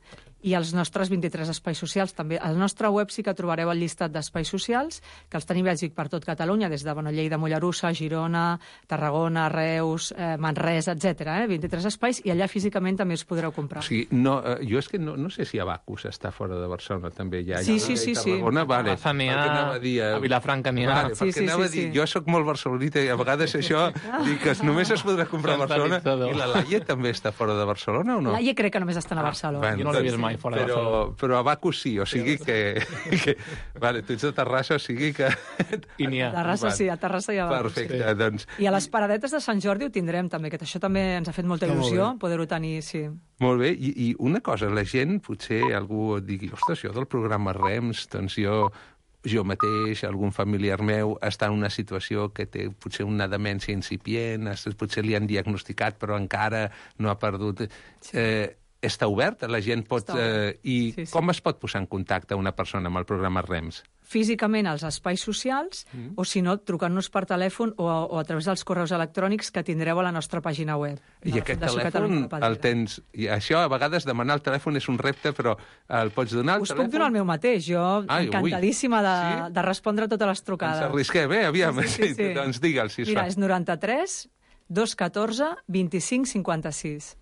i els nostres vint-i-tres espais socials també. Al nostre web sí que trobareu el llistat d'espais socials, que els tenim, ja dic, per tot Catalunya, des de bueno, Lleida, Mollerussa, Girona, Tarragona, Reus, eh, Manresa, etcètera. Eh? vint-i-tres espais, i allà físicament també els podreu comprar. O sigui, no, eh, jo és que no, no sé si Abacus està fora de Barcelona també. Ja, sí, ja, sí, sí, sí. Vale, a Baza n'hi ha, a, dir, a Vilafranca n'hi ha. Vale, sí, perquè sí, anava sí, a dir, sí. jo sóc molt barcelonita i a vegades això, dic que només es podrà comprar a Barcelona. I la Laie també està fora de Barcelona o no? La Laie crec que només estan a Barcelona. Ah, bueno, jo no l'he vist mai fora però, de Barcelona. Però Abacus sí, o sigui que... que vale, tu ets de Terrassa, o sigui que... I n'hi ha. A Terrassa sí, a Terrassa hi ha Abacus. Perfecte, Sí. doncs... I a les paradetes de Sant Jordi ho tindrem també, que això també ens ha fet molta Està molt il·lusió, bé. poder-ho tenir, sí. Molt bé, I, i una cosa, la gent, potser algú et digui, ostres, jo del programa REMS, doncs jo, jo mateix, algun familiar meu, està en una situació que té potser una demència incipient, potser li han diagnosticat però encara no ha perdut... Sí. Eh, està obert? La gent pot... Eh, I sí, sí. com es pot posar en contacte una persona amb el programa REMS? Físicament als espais socials, mm. o si no, trucant-nos per telèfon o a, o a través dels correus electrònics que tindreu a la nostra pàgina web. I aquest telèfon el tens... I això, a vegades, demanar el telèfon és un repte, però el pots donar, el Us telèfon? puc donar el meu mateix. Jo, Ai, encantadíssima de, sí? de respondre a totes les trucades. Ens arrisquem, eh? Aviam, Sí, sí, sí. doncs digue'l, si es Mira, fa. és noranta-tres dos catorze vint-i-cinc cinquanta-sis.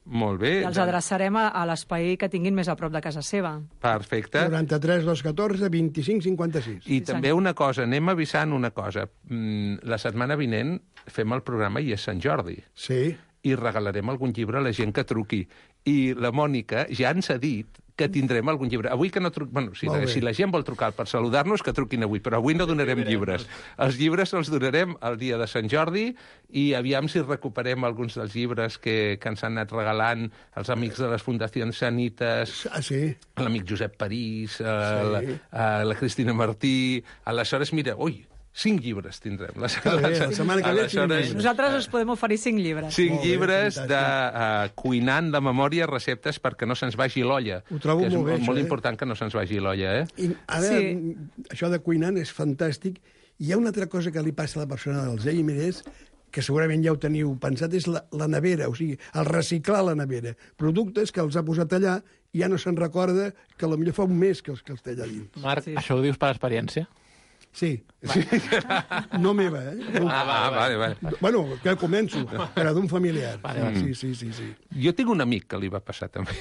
Molt bé. I els adreçarem a, a l'espai que tinguin més a prop de casa seva. Perfecte. noranta-tres dos catorze vint-i-cinc cinquanta-sis. I Sí, també senyor. una cosa, anem avisant una cosa. Mm, la setmana vinent fem el programa i és Sant Jordi. Sí. I regalarem algun llibre a la gent que truqui. I la Mònica ja ens ha dit que tindrem algun llibre. Avui que no truc... Bueno, si, la, si la gent vol trucar per saludar-nos, que truquin avui, però avui no donarem llibres. Els llibres els donarem el dia de Sant Jordi i aviam si recuperem alguns dels llibres que, que ens han anat regalant els amics de les Fundacions Sanites, Ah, sí. l'amic Josep París, eh, Sí. la, eh, la Cristina Martí... Aleshores, mira, ui, cinc llibres tindrem. La, Que bé, la setmana que ve cinc llibres. Nosaltres us podem oferir cinc llibres. Cinc Molt bé, llibres fantàstic. de uh, cuinant de memòria, receptes perquè no se'ns vagi l'olla. Ho trobo que és molt bé, molt, això, molt eh? important que no se'ns vagi l'olla, eh? I ara, Sí. sí. això de cuinant és fantàstic. I hi ha una altra cosa que li passa a la persona d'Alzheimer, és que segurament ja ho teniu pensat, és la, la nevera, o sigui, el reciclar la nevera. Productes que els ha posat allà i ja no se'n recorda que potser fa un mes que els, que els té allà dins. Marc, Sí. això ho dius per experiència? Sí. sí. No meva, eh? No. Ah, va, vale, vale. Bueno, que començo, però d'un familiar. Vale, vale. Sí, sí, sí, sí. Jo tinc un amic que li va passar també.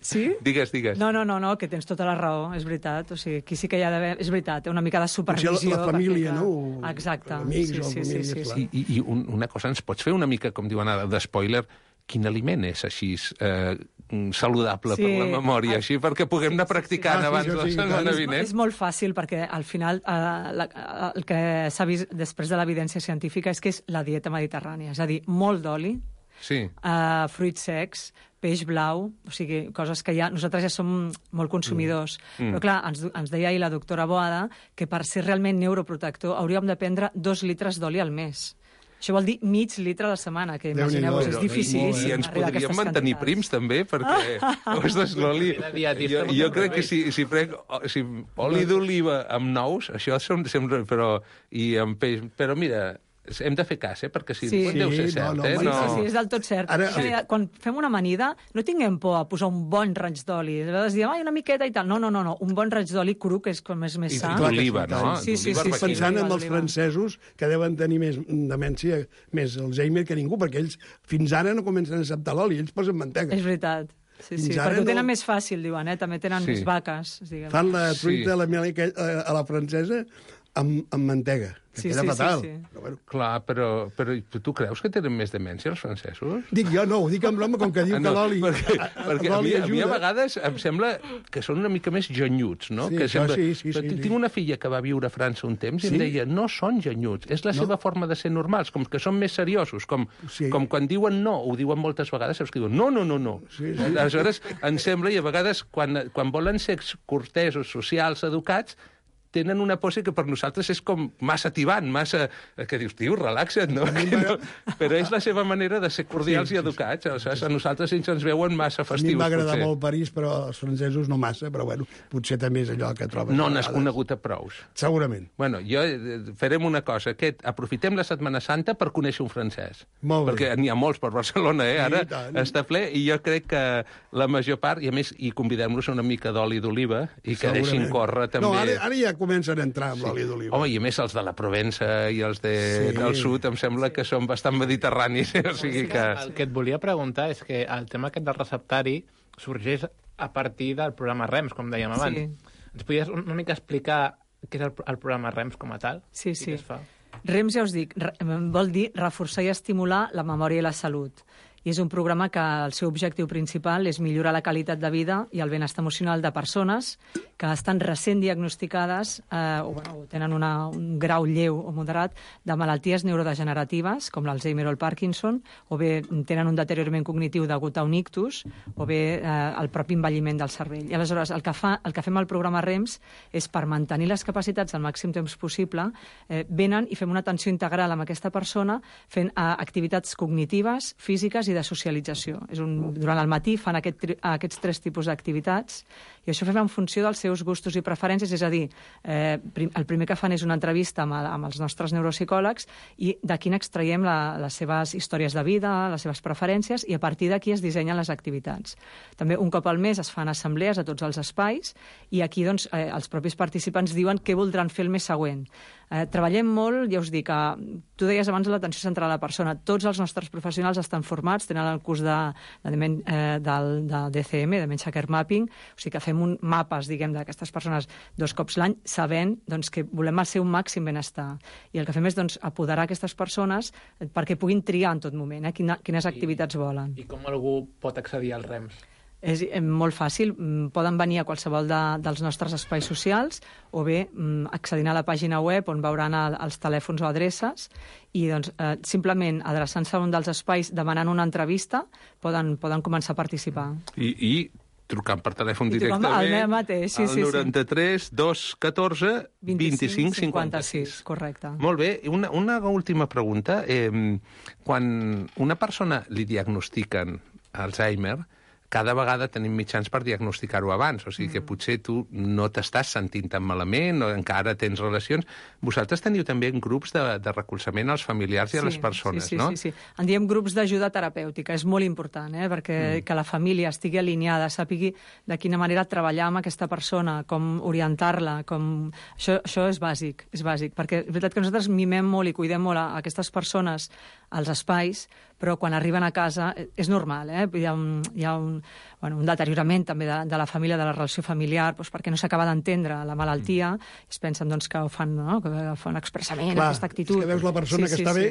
Sí? Digues, digues. No, no, no, no, que tens tota la raó, és veritat. O sigui, aquí sí que hi ha d'haver... És veritat, té una mica de Potser supervisió. la, la família, perquè, no? clar, Exacte. Amics sí, o sí, famílies, sí, sí, clar. sí. I, i un, una cosa, ens pots fer una mica, com diuen ara, d'espoiler, quin aliment és així eh, saludable Sí. per la memòria, Ah, així perquè puguem anar practicant Ah, sí, abans sí, de la sí, setmana clar. vinent. És molt fàcil perquè al final eh, la, el que s'ha vist després de l'evidència científica és que és la dieta mediterrània, és a dir, molt d'oli, Sí. eh, fruits secs, peix blau, o sigui, coses que ja nosaltres ja som molt consumidors. Mm. Però clar, ens, ens deia ahir la doctora Boada que per ser realment neuroprotector hauríem de prendre dos litres d'oli al mes. Això vol dir mig litre a la setmana, que imagineu-vos, Déu-n'hi-do, és però difícil. I ens arribar a podríem aquestes mantenir quantitats. prims, també, perquè, ostres, l'oli... Era dietista, Jo, jo crec que si, si prenc si, oli d'oliva amb nous, això som, sempre... Però, i amb peix... Però mira, hem de fer cas, eh? Perquè si Sí. sí, deu ser Sí, cert, no, no, eh? Sí, no. sí, sí, és del tot cert. Ara- Ara, sí. Quan fem una amanida, no tinguem por a posar un bon raig d'oli. A vegades diem, ai, una miqueta i tal. No, no, no, no. un bon raig d'oli cru, que és com és més I sa. clar que d'oliva, sí, no? clar. Sí, sí, D'oliva sí, arbequina. sí. Pensant en els Oliva. francesos, que deuen tenir més demència, més Alzheimer que ningú, perquè ells fins ara no comencen a acceptar l'oli, ells posen mantega. És veritat. Sí, sí, Fins ara perquè ho tenen no- més fàcil, diuen, eh? També tenen Sí. més vaques. Diguem. Fan la Sí. truita a la, mel aquell- a la francesa amb, amb mantega, que Sí, queda sí, sí, fatal. sí. Però, bueno, Clar, però, però tu creus que tenen més demència els francesos? dic jo, no, ho dic amb l'home, com que diu Ah, que l'oli perquè, a- a- perquè a, mi, l'oli a mi a ajuda. vegades em sembla que són una mica més genyuts, no? Sí, que això sembla... sí, sí, Però sí, tinc sí. una filla que va viure a França un temps i Sí? em deia, no són genyuts, és la No? seva forma de ser normals, com que són més seriosos, com, Sí. com quan diuen no, ho diuen moltes vegades, saps que diuen no, no, no, no. Sí, sí. Aleshores, em sembla, i a vegades, quan, quan volen ser cortesos, socials, educats, tenen una pose que per nosaltres és com massa tibant, massa... que dius, tio, relaxa't, no? no? Però és la seva manera de ser cordials sí, i educats. Sí, sí. A nosaltres ells ens veuen massa festius, potser. A mi m'agrada potser. molt París, però els francesos no massa, però bueno, potser també és allò que trobes. No n'has conegut a prous. Segurament. Bueno, jo farem una cosa, aquest, aprofitem la Setmana Santa per conèixer un francès. Molt bé. Perquè n'hi ha molts per Barcelona, eh? Ara sí, està ple, i jo crec que la major part, i a més, i convidem-los a una mica d'oli d'oliva, i que deixin córrer també... No, ara, ara ja comencen a entrar amb sí. l'oli d'oliva. Home, i a més els de la Provença i els de, sí. del sud em sembla sí. que són bastant mediterranis, o sigui que... El que et volia preguntar és que el tema aquest del receptari sorgeix a partir del programa REMS, com dèiem abans. Sí. Ens podies una mica explicar què és el, el programa REMS com a tal? Sí, sí. I què es fa? REMS, ja us dic, vol dir reforçar i estimular la memòria i la salut. I és un programa que el seu objectiu principal és millorar la qualitat de vida i el benestar emocional de persones que estan recent diagnosticades eh, o, bueno, tenen una, un grau lleu o moderat de malalties neurodegeneratives, com l'Alzheimer o el Parkinson, o bé tenen un deteriorament cognitiu degut a un ictus, o bé eh, el propi envelliment del cervell. I aleshores el que, fa, el que fem al programa REMS és, per mantenir les capacitats al màxim temps possible, eh, venen i fem una atenció integral amb aquesta persona fent eh, activitats cognitives, físiques i de socialització. És un, durant el matí fan aquest, aquests tres tipus d'activitats i això fem en funció dels seus gustos i preferències, és a dir, eh, prim, el primer que fan és una entrevista amb, el, amb els nostres neuropsicòlegs i d'aquí n'extraiem la, les seves històries de vida, les seves preferències, i a partir d'aquí es dissenyen les activitats. També un cop al mes es fan assemblees a tots els espais i aquí doncs, eh, els propis participants diuen què voldran fer el mes següent. Eh, treballem molt, ja us dic, eh, tu deies abans l'atenció central a la persona. Tots els nostres professionals estan formats, tenen el curs de, de, eh, del, de D C M, Dementia Care Mapping, o sigui que fem un mapes, diguem, d'aquestes persones dos cops l'any, sabent doncs, que volem el seu màxim benestar. I el que fem és doncs, apoderar aquestes persones perquè puguin triar en tot moment, eh, quina, quines activitats I, volen. I com algú pot accedir al REMS? És molt fàcil. Poden venir a qualsevol de, dels nostres espais socials o bé accedint a la pàgina web on veuran el, els telèfons o adreces i doncs, eh, simplement adreçant-se a un dels espais demanant una entrevista poden, poden començar a participar. I, i trucant per telèfon I directament al meu mateix, sí, al sí, noranta-tres dos catorze vint-i-cinc cinquanta-sis. Correcte. Molt bé. Una, una última pregunta. Eh, quan una persona li diagnostiquen Alzheimer, cada vegada tenim mitjans per diagnosticar-ho abans, o sigui que potser tu no t'estàs sentint tan malament o encara tens relacions. Vosaltres teniu també grups de, de recolzament als familiars i a les persones, sí, sí, no? Sí, sí, sí. En diem grups d'ajuda terapèutica, és molt important, eh? perquè mm. que la família estigui alineada, sàpigui de quina manera treballar amb aquesta persona, com orientar-la, com... Això, això és bàsic, és bàsic, perquè és veritat que nosaltres mimem molt i cuidem molt a aquestes persones als espais, però quan arriben a casa és normal, eh? Hi ha un, hi ha un, bueno, un deteriorament també de, de la família, de la relació familiar, doncs perquè no s'acaba d'entendre la malaltia, i es pensen doncs, que ho fan, no? que ho fan expressament, Clar, aquesta actitud. És que veus la persona sí, que sí, està sí. bé,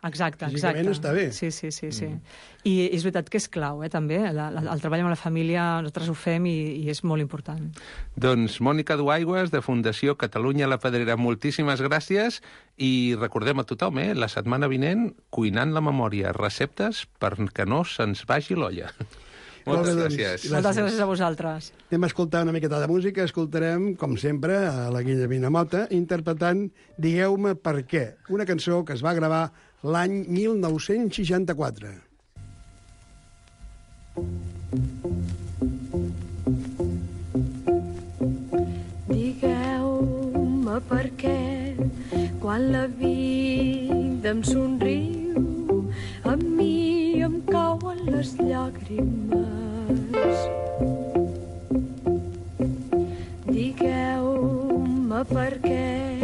Exacte, físicament exacte. està bé. Sí, sí, sí. sí. Mm. I és veritat que és clau, eh, també. La, la, el treball amb la família, nosaltres ho fem i, i és molt important. Doncs Mònica Duaigües, de Fundació Catalunya La Pedrera, moltíssimes gràcies i recordem a tothom, eh, la setmana vinent, cuinant la memòria, receptes perquè no se'ns vagi l'olla. Moltes gràcies. gràcies. Moltes gràcies a vosaltres. Anem a escoltar una miqueta de música. Escoltarem, com sempre, a la Guillemina Mota interpretant Digueu-me per què, una cançó que es va gravar l'any mil nou-cents seixanta-quatre. Digueu-me per què quan la vida em somriu a mi em cauen les llàgrimes. Digueu-me per què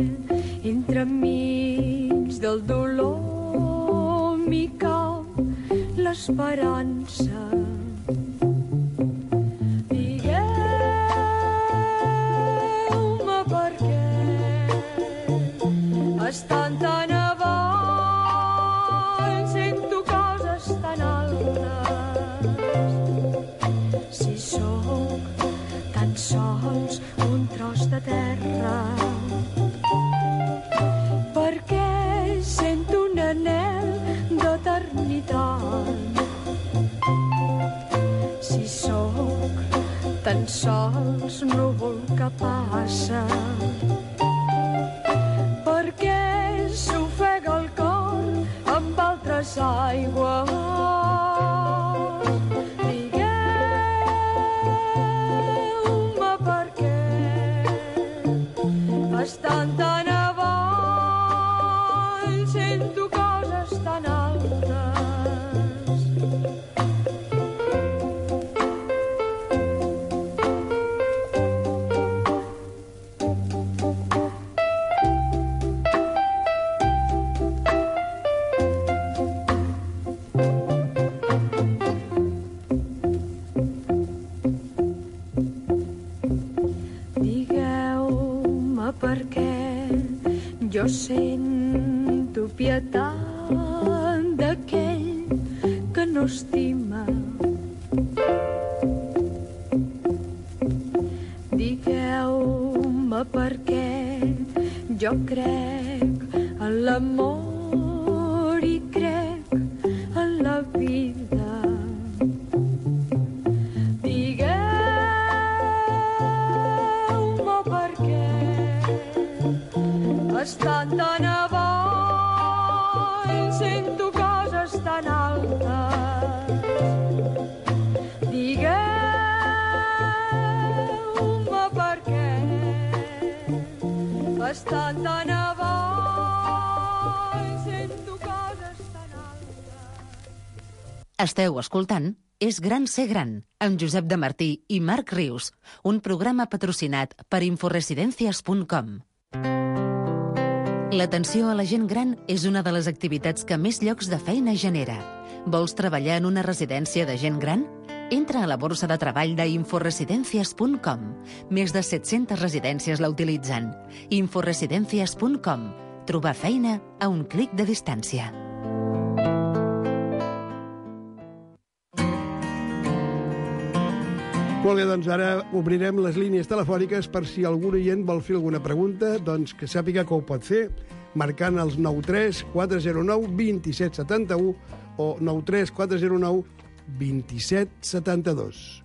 entremig del dolor m'hi cau l'esperança. Digueu-me per què estan tan avall, sento coses tan altes. Si sóc tan sols un tros de terra, perquè sento un anhel d'eternitat. Si sóc tan sols núvol que passa, l'aigua. Digueu-me per què estan tan avall, sento coses tan altes. Digueu-me per què jo sento pietat d'aquell que no estima. Digueu-me per què jo crec en l'amor i crec en la vida. Digueu-me per què estan tan avall, sento coses tan altes. Digueu-me per què estan tan avall, sento coses tan altes. Esteu escoltant És gran ser gran, amb Josep de Martí i Marc Rius, un programa patrocinat per inforesidencias punt com. L'atenció a la gent gran és una de les activitats que més llocs de feina genera. Vols treballar en una residència de gent gran? Entra a la borsa de treball d'inforesidencias punt com. Més de set-centes residències la utilitzen. inforesidencias punt com. Trobar feina a un clic de distància. Molt bé, doncs ara obrirem les línies telefòniques per si algun oient vol fer alguna pregunta, doncs que sàpiga que ho pot fer marcant els nou tres quatre zero nou dos set set u o nou tres quatre zero nou dos set set dos.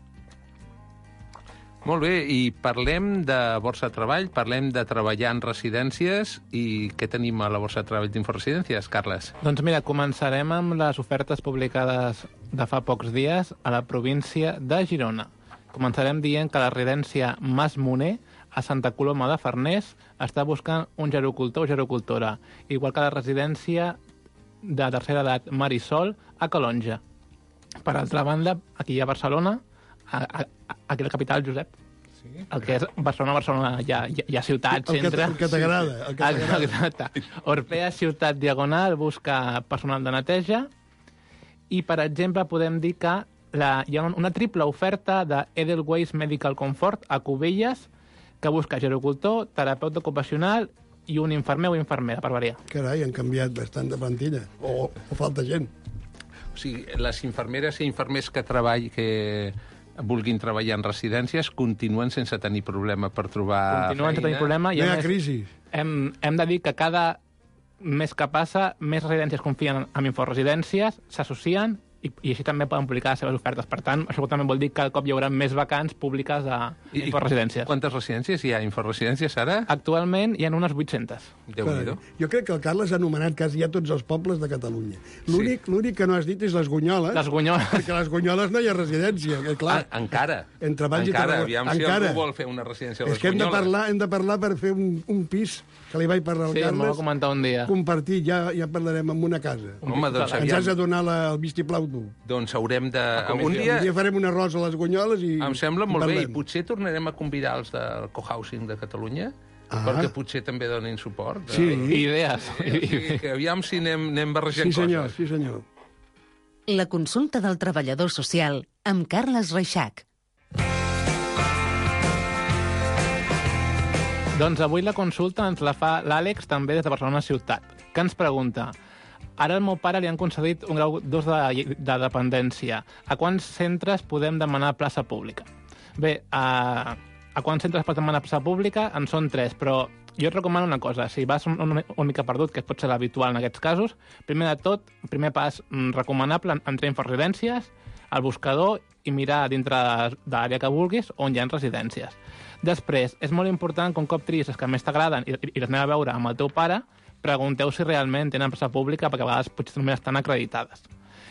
Molt bé, i parlem de Borsa de Treball, parlem de treballar en residències, i què tenim a la Borsa de Treball d'Inforesidències, Carles? Doncs mira, començarem amb les ofertes publicades de fa pocs dies a la província de Girona. Començarem dient que la residència Mas Moner, a Santa Coloma de Farners, està buscant un gerocultor o gerocultora, igual que la residència de tercera edat Marisol, a Calonja. Per altra banda, aquí a Barcelona, a, a, aquí a la capital, Josep, sí, el que és Barcelona, Barcelona, hi ha, hi ha ciutat, el centre. Que, el que t'agrada. El que t'agrada. Exacte. Orpea Ciutat Diagonal busca personal de neteja i, per exemple, podem dir que la, hi ha una triple oferta de Edelweiss Medical Comfort a Cubelles que busca gerocultor, terapeuta ocupacional i un infermer o infermera, per variar. Carai, han canviat bastant de plantilla. O, o falta gent. O sigui, les infermeres i infermers que treball, que vulguin treballar en residències continuen sense tenir problema per trobar Continuen feina. sense tenir problema. I No hi ha a més, crisi. hem, hem de dir que cada mes que passa, més residències confien en inforesidències, s'associen i, i així també poden publicar les seves ofertes. Per tant, això també vol dir que cada cop hi haurà més vacants públiques a I, inforesidències. Quantes residències hi ha? Inforesidències ara? Actualment hi ha unes vuit-centes. Déu-n'hi-do. Jo crec que el Carles ha anomenat quasi ja tots els pobles de Catalunya. L'únic Sí. l'únic que no has dit és les Gunyoles. Les Gunyoles. Perquè a les Gunyoles no hi ha residència, que clar. Ah, encara. Entre Valls i encara. Tarragona. Aviam Encara. si algú vol fer una residència a les És que hem de, Gunyoles. parlar, hem de parlar per fer un, un pis, que li vaig parlar al Sí, m'ho va Carles, comentar un dia. compartir, ja, ja parlarem en una casa. Home, doncs Ens aviam. has de donar la, el vistiplau tu. Doncs haurem de... Un Un dia... dia farem un arròs a les Gunyoles i Em sembla molt bé, i parlem. potser tornarem a convidar els del cohousing de Catalunya, Ah. perquè potser també donin suport. Sí. Idees. Eh, o sigui, que aviam si anem, anem barrejant Sí, senyor, coses. sí, senyor. La consulta del treballador social amb Carles Reixac. Doncs avui la consulta ens la fa l'Àlex, també des de Barcelona Ciutat, que ens pregunta: ara al meu pare li han concedit un grau dos de, de dependència. A quants centres podem demanar plaça pública? Bé, a, a quants centres pot demanar plaça pública? En són tres, però jo et recomano una cosa. Si vas una, una mica perdut, que pot ser l'habitual en aquests casos, primer de tot, primer pas recomanable, entrar a Inforesidències, al buscador, i mirar dintre de l'àrea que vulguis on hi ha residències. Després, és molt important que un cop triïs les que més t'agraden i, i les anem a veure amb el teu pare, pregunteu si realment tenen plaça pública, perquè a vegades potser només estan acreditades.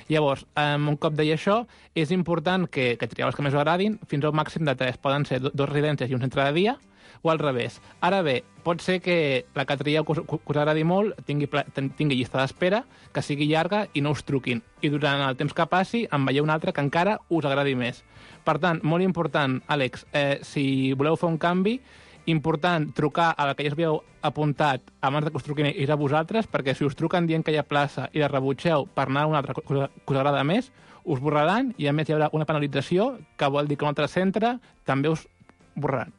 Llavors, um, un cop deia això, és important que, que trieu les que més us agradin, fins a un màxim de tres. Poden ser do, dos residències i un centre de dia, o al revés. Ara bé, pot ser que la que trieu que us, que us agradi molt tingui, tingui llista d'espera, que sigui llarga i no us truquin. I durant el temps que passi en veieu una altra que encara us agradi més. Per tant, molt important, Àlex, eh, si voleu fer un canvi, important trucar a la que ja us havíeu apuntat abans de que us truquin ells a vosaltres, perquè si us truquen dient que hi ha plaça i la rebutgeu per anar a una altra que us, que us agrada més, us borraran i a més hi haurà una penalització que vol dir que un altre centre també us borraran.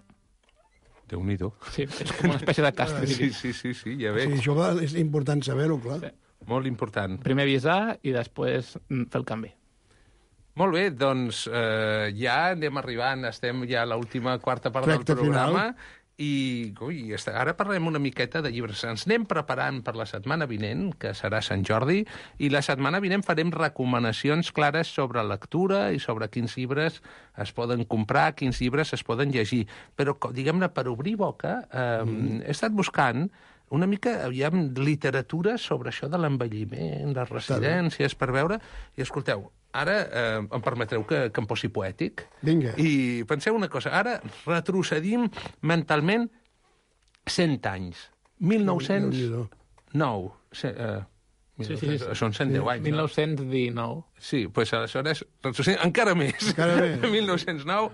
Déu-n'hi-do. Sí, és com una espècie de càstig. Sí, sí, sí, sí, ja veig. Sí, això és important saber-ho, clar. Sí. Molt important. Primer avisar i després fer el canvi. Molt bé, doncs eh, ja anem arribant, estem ja a l'última quarta part Recte del programa final. i ui, ara parlem una miqueta de llibres. Ens anem preparant per la setmana vinent, que serà Sant Jordi, i la setmana vinent farem recomanacions clares sobre lectura i sobre quins llibres es poden comprar, quins llibres es poden llegir. Però, diguem-ne, per obrir boca, eh, mm. he estat buscant una mica, aviam, literatura sobre això de l'envelliment, les residències, per veure... I escolteu, ara eh, em permetreu que, que em posi poètic? Vinga. I penseu una cosa, ara retrocedim mentalment cent anys. mil nou-cents nou. Se, eh, Sí, sí, sí. Són cent deu anys, mil nou-cents dinou. no? Sí, doncs aleshores retrocedim encara més. Encara més. mil nou-cents nou...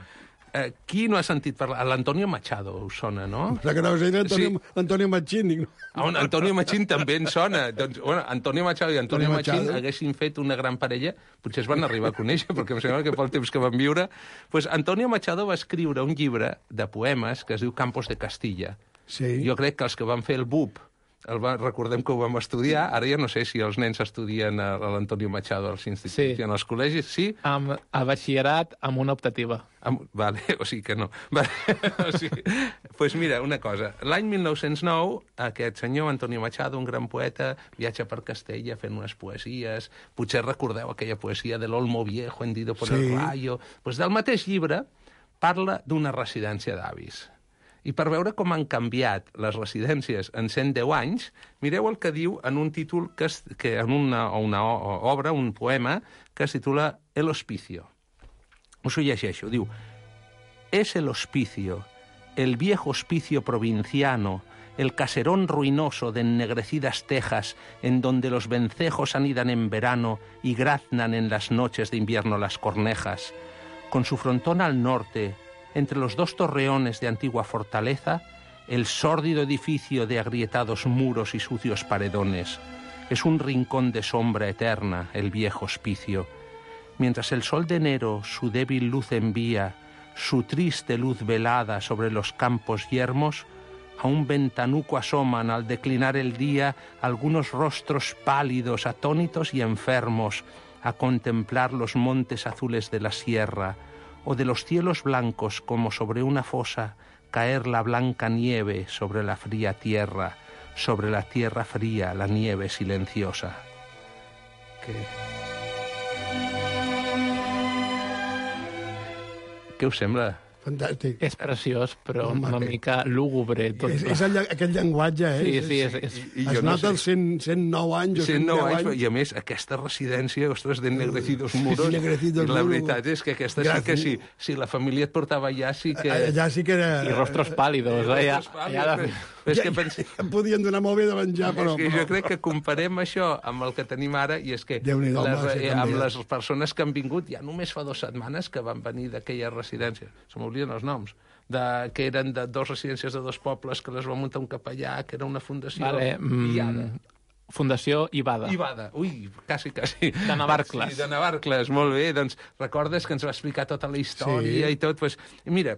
Eh, qui no ha sentit parlar? L'Antonio Machado us sona, no? La que no sé, Antonio, sí. Antonio Machín. No? Ah, Antonio Machín també en sona. Doncs, bueno, Antonio Machado i Antonio, Antonio Machín Machado. haguessin fet una gran parella, potser es van arribar a conèixer, perquè em sembla que pel temps que van viure... Pues Antonio Machado va escriure un llibre de poemes que es diu Campos de Castilla. Sí. Jo crec que els que van fer el B U P, el va, recordem que ho vam estudiar, ara ja no sé si els nens estudien a, a l'Antonio Machado als instituts sí. i en els col·legis, sí? Amb, a batxillerat amb una optativa. Am, vale, o sigui que no. Vale, o sigui, pues mira, una cosa. L'any mil nou-cents nou, aquest senyor Antonio Machado, un gran poeta, viatja per Castella fent unes poesies. Potser recordeu aquella poesia de l'Olmo Viejo hendido por sí. el rayo. Pues del mateix llibre parla d'una residència d'avis. I per veure com han canviat les residències en cent deu anys, mireu el que diu en un títol, que, es, que en una, una obra, un poema, que es titula El Hospicio. Us ho llegeixo, diu: Es el hospicio, el viejo hospicio provinciano, el caserón ruinoso de ennegrecidas tejas en donde los vencejos anidan en verano y graznan en las noches de invierno las cornejas. Con su frontón al norte, entre los dos torreones de antigua fortaleza, el sórdido edificio de agrietados muros y sucios paredones. Es un rincón de sombra eterna, el viejo hospicio. Mientras el sol de enero su débil luz envía, su triste luz velada sobre los campos yermos, a un ventanuco asoman al declinar el día algunos rostros pálidos, atónitos y enfermos, a contemplar los montes azules de la sierra, o de los cielos blancos como sobre una fosa caer la blanca nieve sobre la fría tierra, sobre la tierra fría la nieve silenciosa. Què, Què us sembla? Fantàstic. És preciós, però Home, una mica lúgubre. Tot. És, és el, aquest llenguatge, eh? Sí, sí. És, és, I, i es nota no sé. els cent nou anys o cent nou anys, anys. I a més, aquesta residència, ostres, d'ennegrecidos muros, ennegrecidos i la muros. veritat és que aquesta sí que sí, si la família et portava allà, sí que... Allà sí que era... I rostros pàlidos, eh? Ja, ja de... És que pense... ja, podien donar molt bé de menjar, però... És que però... jo crec que comparem això amb el que tenim ara, i és que les, home, eh, amb les persones que han vingut, ja només fa dues setmanes que van venir d'aquella residència, se m'obliden els noms, de, que eren de dos residències de dos pobles, que les va muntar un capellà, que era una fundació... Vale, mm, Fundació Ibada. Ibada, ui, quasi, quasi. De Navarcles. Sí, de Navarcles, molt bé. Doncs recordes que ens va explicar tota la història sí. i tot. Pues, mira,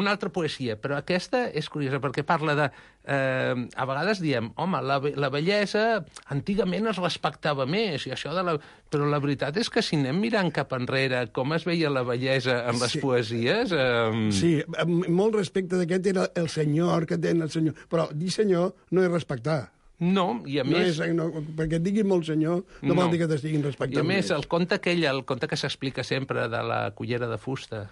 una altra poesia, però aquesta és curiosa perquè parla de... Eh, a vegades diem, home, la, la bellesa antigament es respectava més, i això de la... però la veritat és que si anem mirant cap enrere com es veia la bellesa en les sí. poesies... Eh... Sí, amb molt respecte d'aquest era el senyor que tenen el senyor, però dir senyor no és respectar. No, i a no més... És, no, perquè et diguin molt senyor no, no vol dir que t'estiguin respectant. I a més, el conte aquell, el conte que s'explica sempre de la cullera de fusta,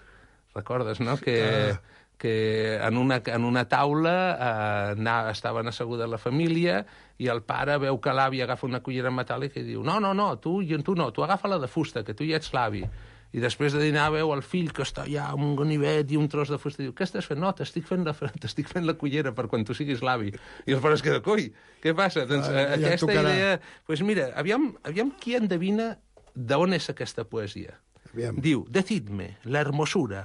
recordes, no? Que, uh. que en una, en una taula eh, anava, estaven asseguda la família i el pare veu que l'avi agafa una cullera metàl·lica i diu no, no, no, tu, tu no, tu agafa la de fusta, que tu ja ets l'avi. I després de dinar veu el fill que està allà amb un ganivet i un tros de fusta i diu, què estàs fent? No, t'estic fent la, t'estic fent la cullera per quan tu siguis l'avi. I el pare es queda, coi, què passa? Doncs ah, ja aquesta tocarà. Idea... Doncs pues mira, aviam, aviam qui endevina d'on és aquesta poesia. Aviam. Diu, decidme, la hermosura,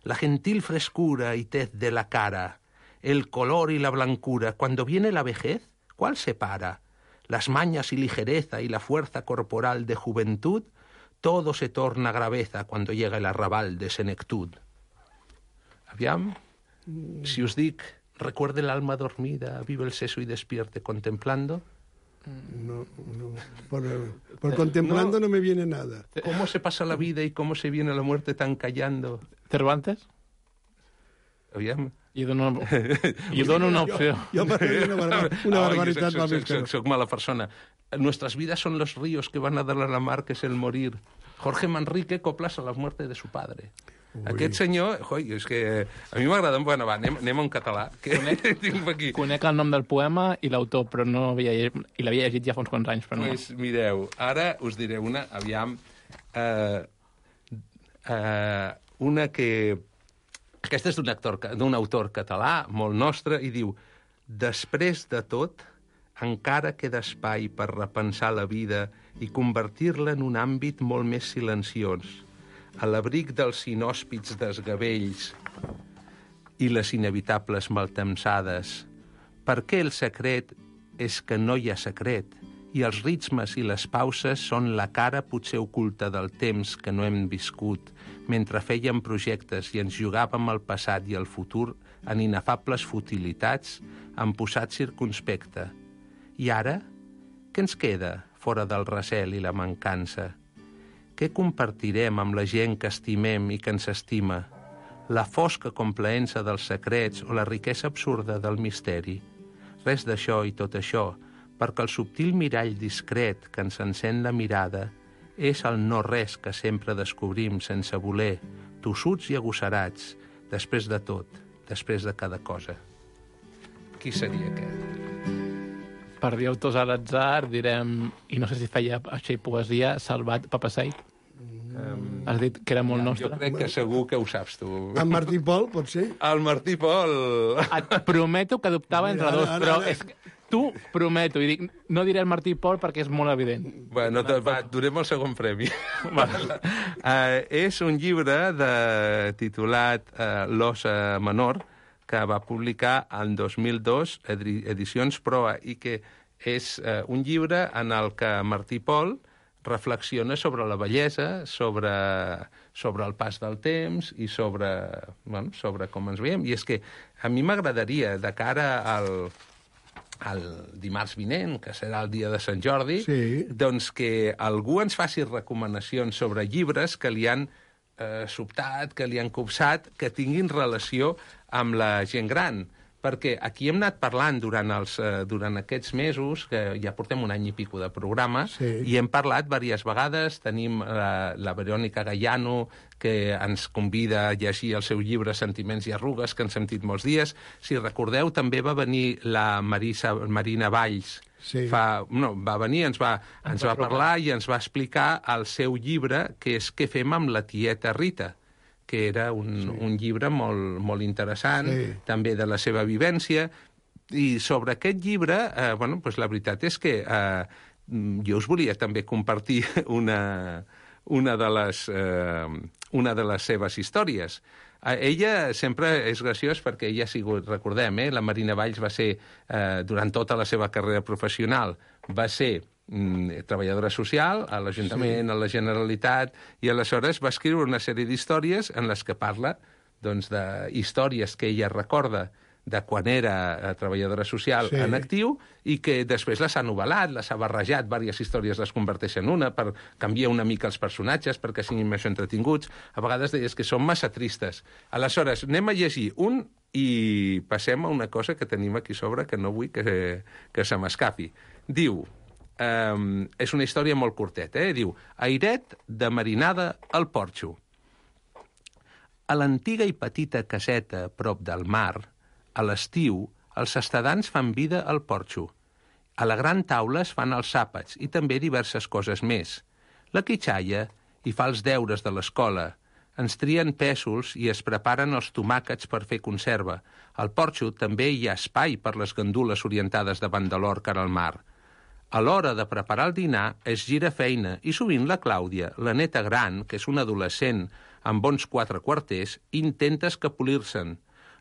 la gentil frescura y tez de la cara, el color y la blancura, cuando viene la vejez, ¿cuál separa? Las mañas y ligereza y la fuerza corporal de juventud, todo se torna graveza cuando llega el arrabal de senectud. Aviam, si us dic, recuerde el alma dormida, vive el seso y despierte contemplando. No, no. Por, por contemplando no. no me viene nada. ¿Cómo se pasa la vida y cómo se viene la muerte tan callando? Cervantes? Aviam. Jo dono, jo dono una opció. Jo, jo una, barba, una barbaritat. Oh, soc, soc, soc mala persona. Nuestras vidas son los ríos que van a dar a la mar, que es el morir. Jorge Manrique coplas a la muerte de su padre. Ui. Aquest senyor, oi, és que a mi m'agrada... Bueno, va, anem, anem a un català. Que conec, aquí. Conec el nom del poema i l'autor, però no havia llegit, i l'havia llegit ja fa uns quants anys, però no. Pues, mireu, ara us diré una, aviam, uh, uh, una que... Aquesta és d'un actor, d'un autor català, molt nostre, i diu: després de tot, encara queda espai per repensar la vida i convertir-la en un àmbit molt més silenciós, a l'abric dels inhòspits desgavells i les inevitables maltemsades. Perquè el secret és que no hi ha secret, i els ritmes i les pauses són la cara potser oculta del temps que no hem viscut, mentre fèiem projectes i ens jugàvem el passat i el futur en inefables futilitats, amb posat circunspecte. I ara, què ens queda fora del recel i la mancança? Què compartirem amb la gent que estimem i que ens estima? La fosca complaença dels secrets o la riquesa absurda del misteri? Res d'això i tot això, perquè el subtil mirall discret que ens encén la mirada és el no-res que sempre descobrim sense voler, tossuts i agosarats, després de tot, després de cada cosa. Qui seria aquest? Per dir autors a l'atzar, direm, i no sé si feia així poesia, Salvat Papasseit. Um, Has dit que era molt ja, nostre. Jo crec que segur que ho saps, tu. En Martí Pol, pot ser? El Martí Pol. Et prometo que doptava entre dos, però és que tu prometo, i dic, no diré el Martí Pol perquè és molt evident. Bueno, va, donem el segon premi. uh, és un llibre de, titulat uh, L'Ossa Menor, que va publicar en dos mil dos, Edicions Proa, i que és uh, un llibre en el que Martí Pol reflexiona sobre la bellesa, sobre, sobre el pas del temps i sobre, bueno, sobre com ens veiem. I és que a mi m'agradaria, de cara al, al dimarts vinent, que serà el dia de Sant Jordi, sí. doncs que algú ens faci recomanacions sobre llibres que li han eh, sobtat, que li han copsat, que tinguin relació amb la gent gran. Perquè aquí hem anat parlant durant, els, eh, durant aquests mesos, que ja portem un any i pico de programa, sí. i hem parlat diverses vegades. Tenim la, la Verònica Gaiano, que ens convida a llegir el seu llibre Sentiments i arrugues, que han sentit molts dies. Si recordeu, també va venir la Marisa, Marina Valls. Sí. Fa, no, va venir, ens va, ens va parlar i ens va explicar el seu llibre, que és Què fem amb la tieta Rita, que era un, sí. un llibre molt, molt interessant, sí. també de la seva vivència. I sobre aquest llibre, eh, bueno, pues la veritat és que eh, jo us volia també compartir una, una, de les, eh, una de les seves històries. Eh, ella sempre és graciós perquè ella ha sigut, recordem, eh, la Marina Valls va ser, eh, durant tota la seva carrera professional, va ser treballadora social a l'Ajuntament, sí. a la Generalitat, i aleshores va escriure una sèrie d'històries en les que parla doncs, de històries que ella recorda de quan era treballadora social sí. en actiu i que després les ha novel·lat, les ha barrejat, diverses històries les converteix en una per canviar una mica els personatges perquè siguin més entretinguts. A vegades deies que són massa tristes. Aleshores, anem a llegir un i passem a una cosa que tenim aquí sobre que no vull que, que se m'escapi. Diu... Um, és una història molt curteta, eh? Diu, airet de marinada al porxo. A l'antiga i petita caseta prop del mar, a l'estiu, els estadants fan vida al porxo. A la gran taula es fan els àpats i també diverses coses més. La quitxalla hi fa els deures de l'escola. Ens trien pèsols i es preparen els tomàquets per fer conserva. Al porxo també hi ha espai per les gandules orientades davant de l'or cara al mar. A l'hora de preparar el dinar es gira feina i sovint la Clàudia, la neta gran, que és una adolescent amb bons quatre quarters, intenta escapolir-se'n.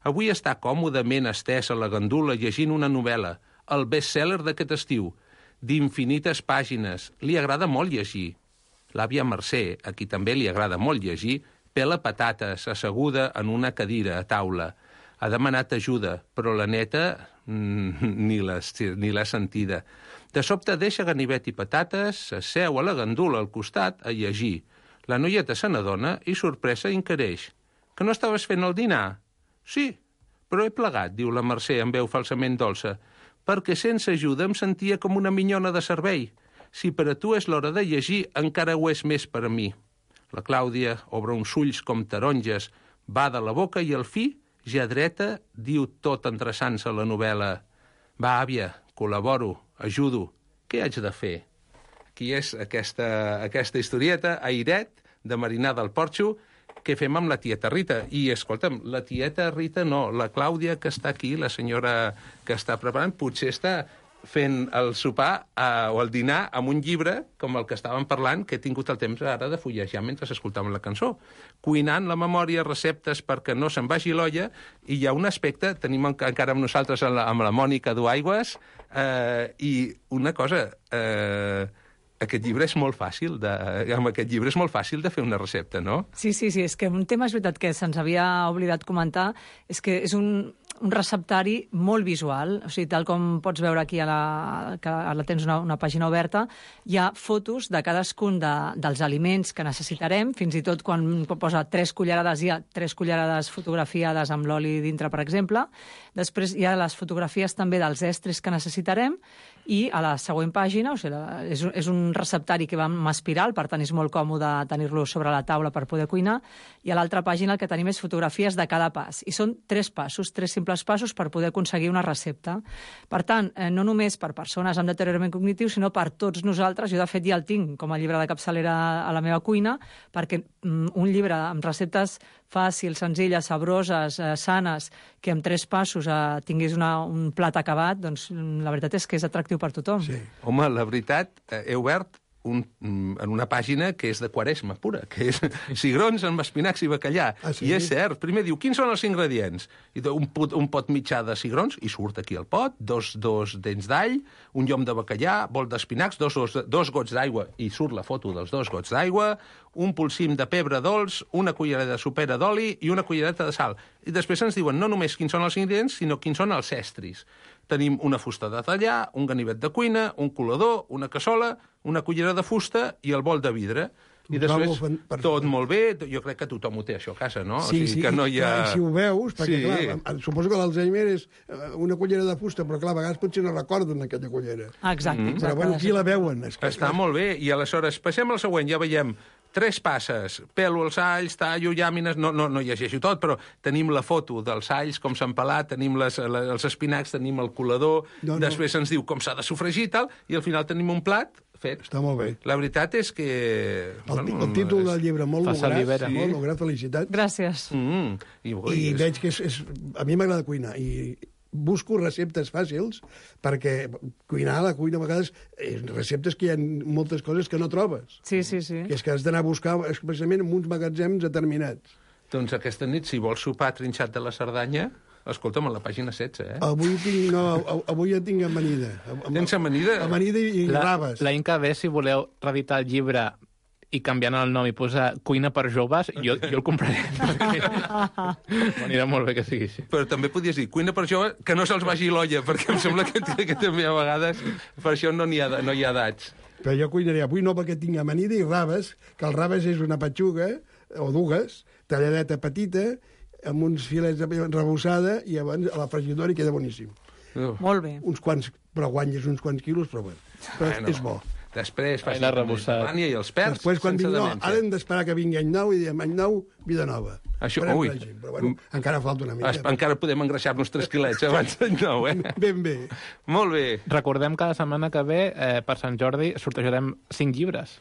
Avui està còmodament estesa a la gandula llegint una novel·la, el best-seller d'aquest estiu, d'infinites pàgines. Li agrada molt llegir. L'àvia Mercè, a qui també li agrada molt llegir, pela patates, asseguda en una cadira a taula. Ha demanat ajuda, però la neta mm, ni l'ha sentida. De sobte deixa ganivet i patates, s'asseu a la gandula al costat a llegir. La noieta se n'adona i, sorpresa, inquireix. Que no estaves fent el dinar? Sí, però he plegat, diu la Mercè amb veu falsament dolça, perquè sense ajuda em sentia com una minyona de servei. Si per a tu és l'hora de llegir, encara ho és més per a mi. La Clàudia obre uns ulls com taronges, bada la boca i al fi, ja dreta, diu tot endreçant-se la novel·la. Va, àvia, col·laboro, ajudo. Què haig de fer? Aquí és aquesta, aquesta historieta, airet, de Marinar del Porxo, que fem amb la tieta Rita. I, escolta'm, la tieta Rita no, la Clàudia que està aquí, la senyora que està preparant, potser està fent el sopar eh, o el dinar amb un llibre, com el que estàvem parlant, que he tingut el temps ara de fullejar mentre escoltàvem la cançó. Cuinant la memòria, receptes perquè no se'n vagi l'olla, i hi ha un aspecte, tenim encara amb nosaltres amb la, amb la Mònica Duaigües, eh, i una cosa... Eh, Aquest llibre és molt fàcil de, amb aquest llibre és molt fàcil de fer una recepta, no? Sí, sí, sí, és que un tema és veritat que se'ns havia oblidat comentar, és que és un, un receptari molt visual, o sigui, tal com pots veure aquí, a la, que ara tens una, una pàgina oberta, hi ha fotos de cadascun de, dels aliments que necessitarem, fins i tot quan posa tres cullerades, hi ha tres cullerades fotografiades amb l'oli dintre, per exemple. Després hi ha les fotografies també dels estris que necessitarem, i a la següent pàgina, o sigui, és, és un receptari que va amb espiral, per tant és molt còmode tenir-lo sobre la taula per poder cuinar, i a l'altra pàgina el que tenim és fotografies de cada pas, i són tres passos, tres simples passos per poder aconseguir una recepta. Per tant, eh, no només per persones amb deteriorament cognitiu, sinó per tots nosaltres. Jo, de fet, ja el tinc com a llibre de capçalera a la meva cuina, perquè mm, un llibre amb receptes fàcils, senzilles, sabroses, eh, sanes, que amb tres passos eh, tinguis una, un plat acabat, doncs la veritat és que és atractiu per tothom. Sí. Home, la veritat, eh, he obert un, en una pàgina que és de Quaresma pura, que és cigrons amb espinacs i bacallà. Ah, sí? I és cert. Primer diu, quins són els ingredients? I un pot, un pot mitjà de cigrons, i surt aquí el pot, dos, dos dents d'all, un llom de bacallà, bol d'espinacs, dos, dos, dos gots d'aigua, i surt la foto dels dos gots d'aigua, un polsim de pebre dolç, una cullerada sopera d'oli i una cullereta de sal. I després ens diuen no només quins són els ingredients, sinó quins són els estris. Tenim una fusta de tallar, un ganivet de cuina, un colador, una cassola, una cullera de fusta i el bol de vidre. I després, tot molt bé, jo crec que tothom ho té, això, a casa, no? Sí, o sigui, sí, que no hi ha... I si ho veus, perquè, sí. clar, suposo que l'Alzheimer és una cullera de fusta, però, clar, a vegades potser no recorden aquella cullera. Exacte, mm. exacte. Però, bueno, aquí la veuen. És que... Està molt bé, i aleshores, passem al següent, ja veiem tres passes, pelo els alls, tallo, llàmines, no, no, no llegeixo tot, però tenim la foto dels alls, com s'han pelat, tenim les, les, els espinacs, tenim el colador, no, no. Després ens diu com s'ha de sofregir i tal, i al final tenim un plat fet. Està molt bé. La veritat és que... El, bueno, el títol del llibre, molt lograt, sí. molt lograt, felicitats. Gràcies. Mm, I, I és... veig que és, és... A mi m'agrada cuinar, i busco receptes fàcils, perquè cuinar a la cuina a vegades és receptes que hi ha moltes coses que no trobes. Sí, sí, sí. Que és que has d'anar a buscar especialment en uns magatzems determinats. Doncs aquesta nit, si vols sopar trinxat de la Cerdanya, escolta'm, a la pàgina setze, eh? Avui tinc, no, avui ja tinc amanida. Tens amanida? Amanida i, i la, raves. L'any que ve, si voleu reeditar el llibre i canviant el nom i posar Cuina per joves, jo, jo el compraré. M'anirà molt bé que sigui així. Però també podies dir Cuina per joves, que no se'ls vagi l'olla, perquè em sembla que, que també a vegades per això no n'hi ha, no hi ha edats. Però jo cuinaré avui no perquè tinc amanida i raves, que el raves és una petxuga, o dues, talladeta petita, amb uns filets de rebossada, i abans a la fregidora i queda boníssim. Uh. Molt bé. Uns quants, però guanyes uns quants quilos, però bueno, però bueno. És bo. Després fas la i els perds. Després, quan vinc, no, ara hem d'esperar que vingui any nou i diem any nou, vida nova. Això, Farem ui. règim, però bueno, encara falta una mica. Es, encara podem engreixar-nos tres quilets abans d'any nou, eh? Ben bé. Molt bé. Recordem que la setmana que ve, eh, per Sant Jordi, sortejarem cinc llibres.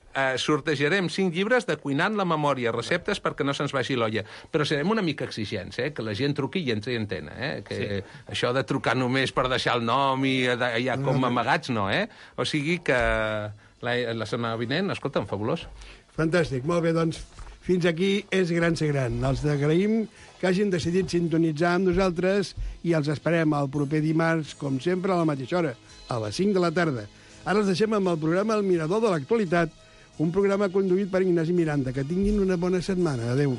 Uh, sortejarem cinc llibres de Cuinant la memòria, receptes perquè no se'ns vagi l'olla. Però serem una mica exigents, eh? Que la gent truqui i ens hi entén, eh? Que sí. Això de trucar només per deixar el nom i allà com amagats, no, eh? O sigui que la, la setmana vinent, escolta'm, fabulós. Fantàstic, molt bé, doncs fins aquí és Gran Ser Gran. Els agraïm que hagin decidit sintonitzar amb nosaltres i els esperem el proper dimarts, com sempre, a la mateixa hora, a les cinc de la tarda. Ara els deixem amb el programa El Mirador de l'Actualitat, un programa conduït per Ignasi Miranda. Que tinguin una bona setmana. Adéu.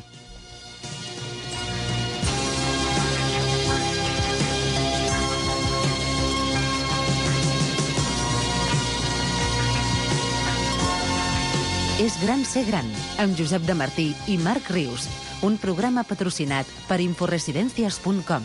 És Gran Ser Gran, amb Josep de Martí i Marc Rius, un programa patrocinat per inforesidencias punt com.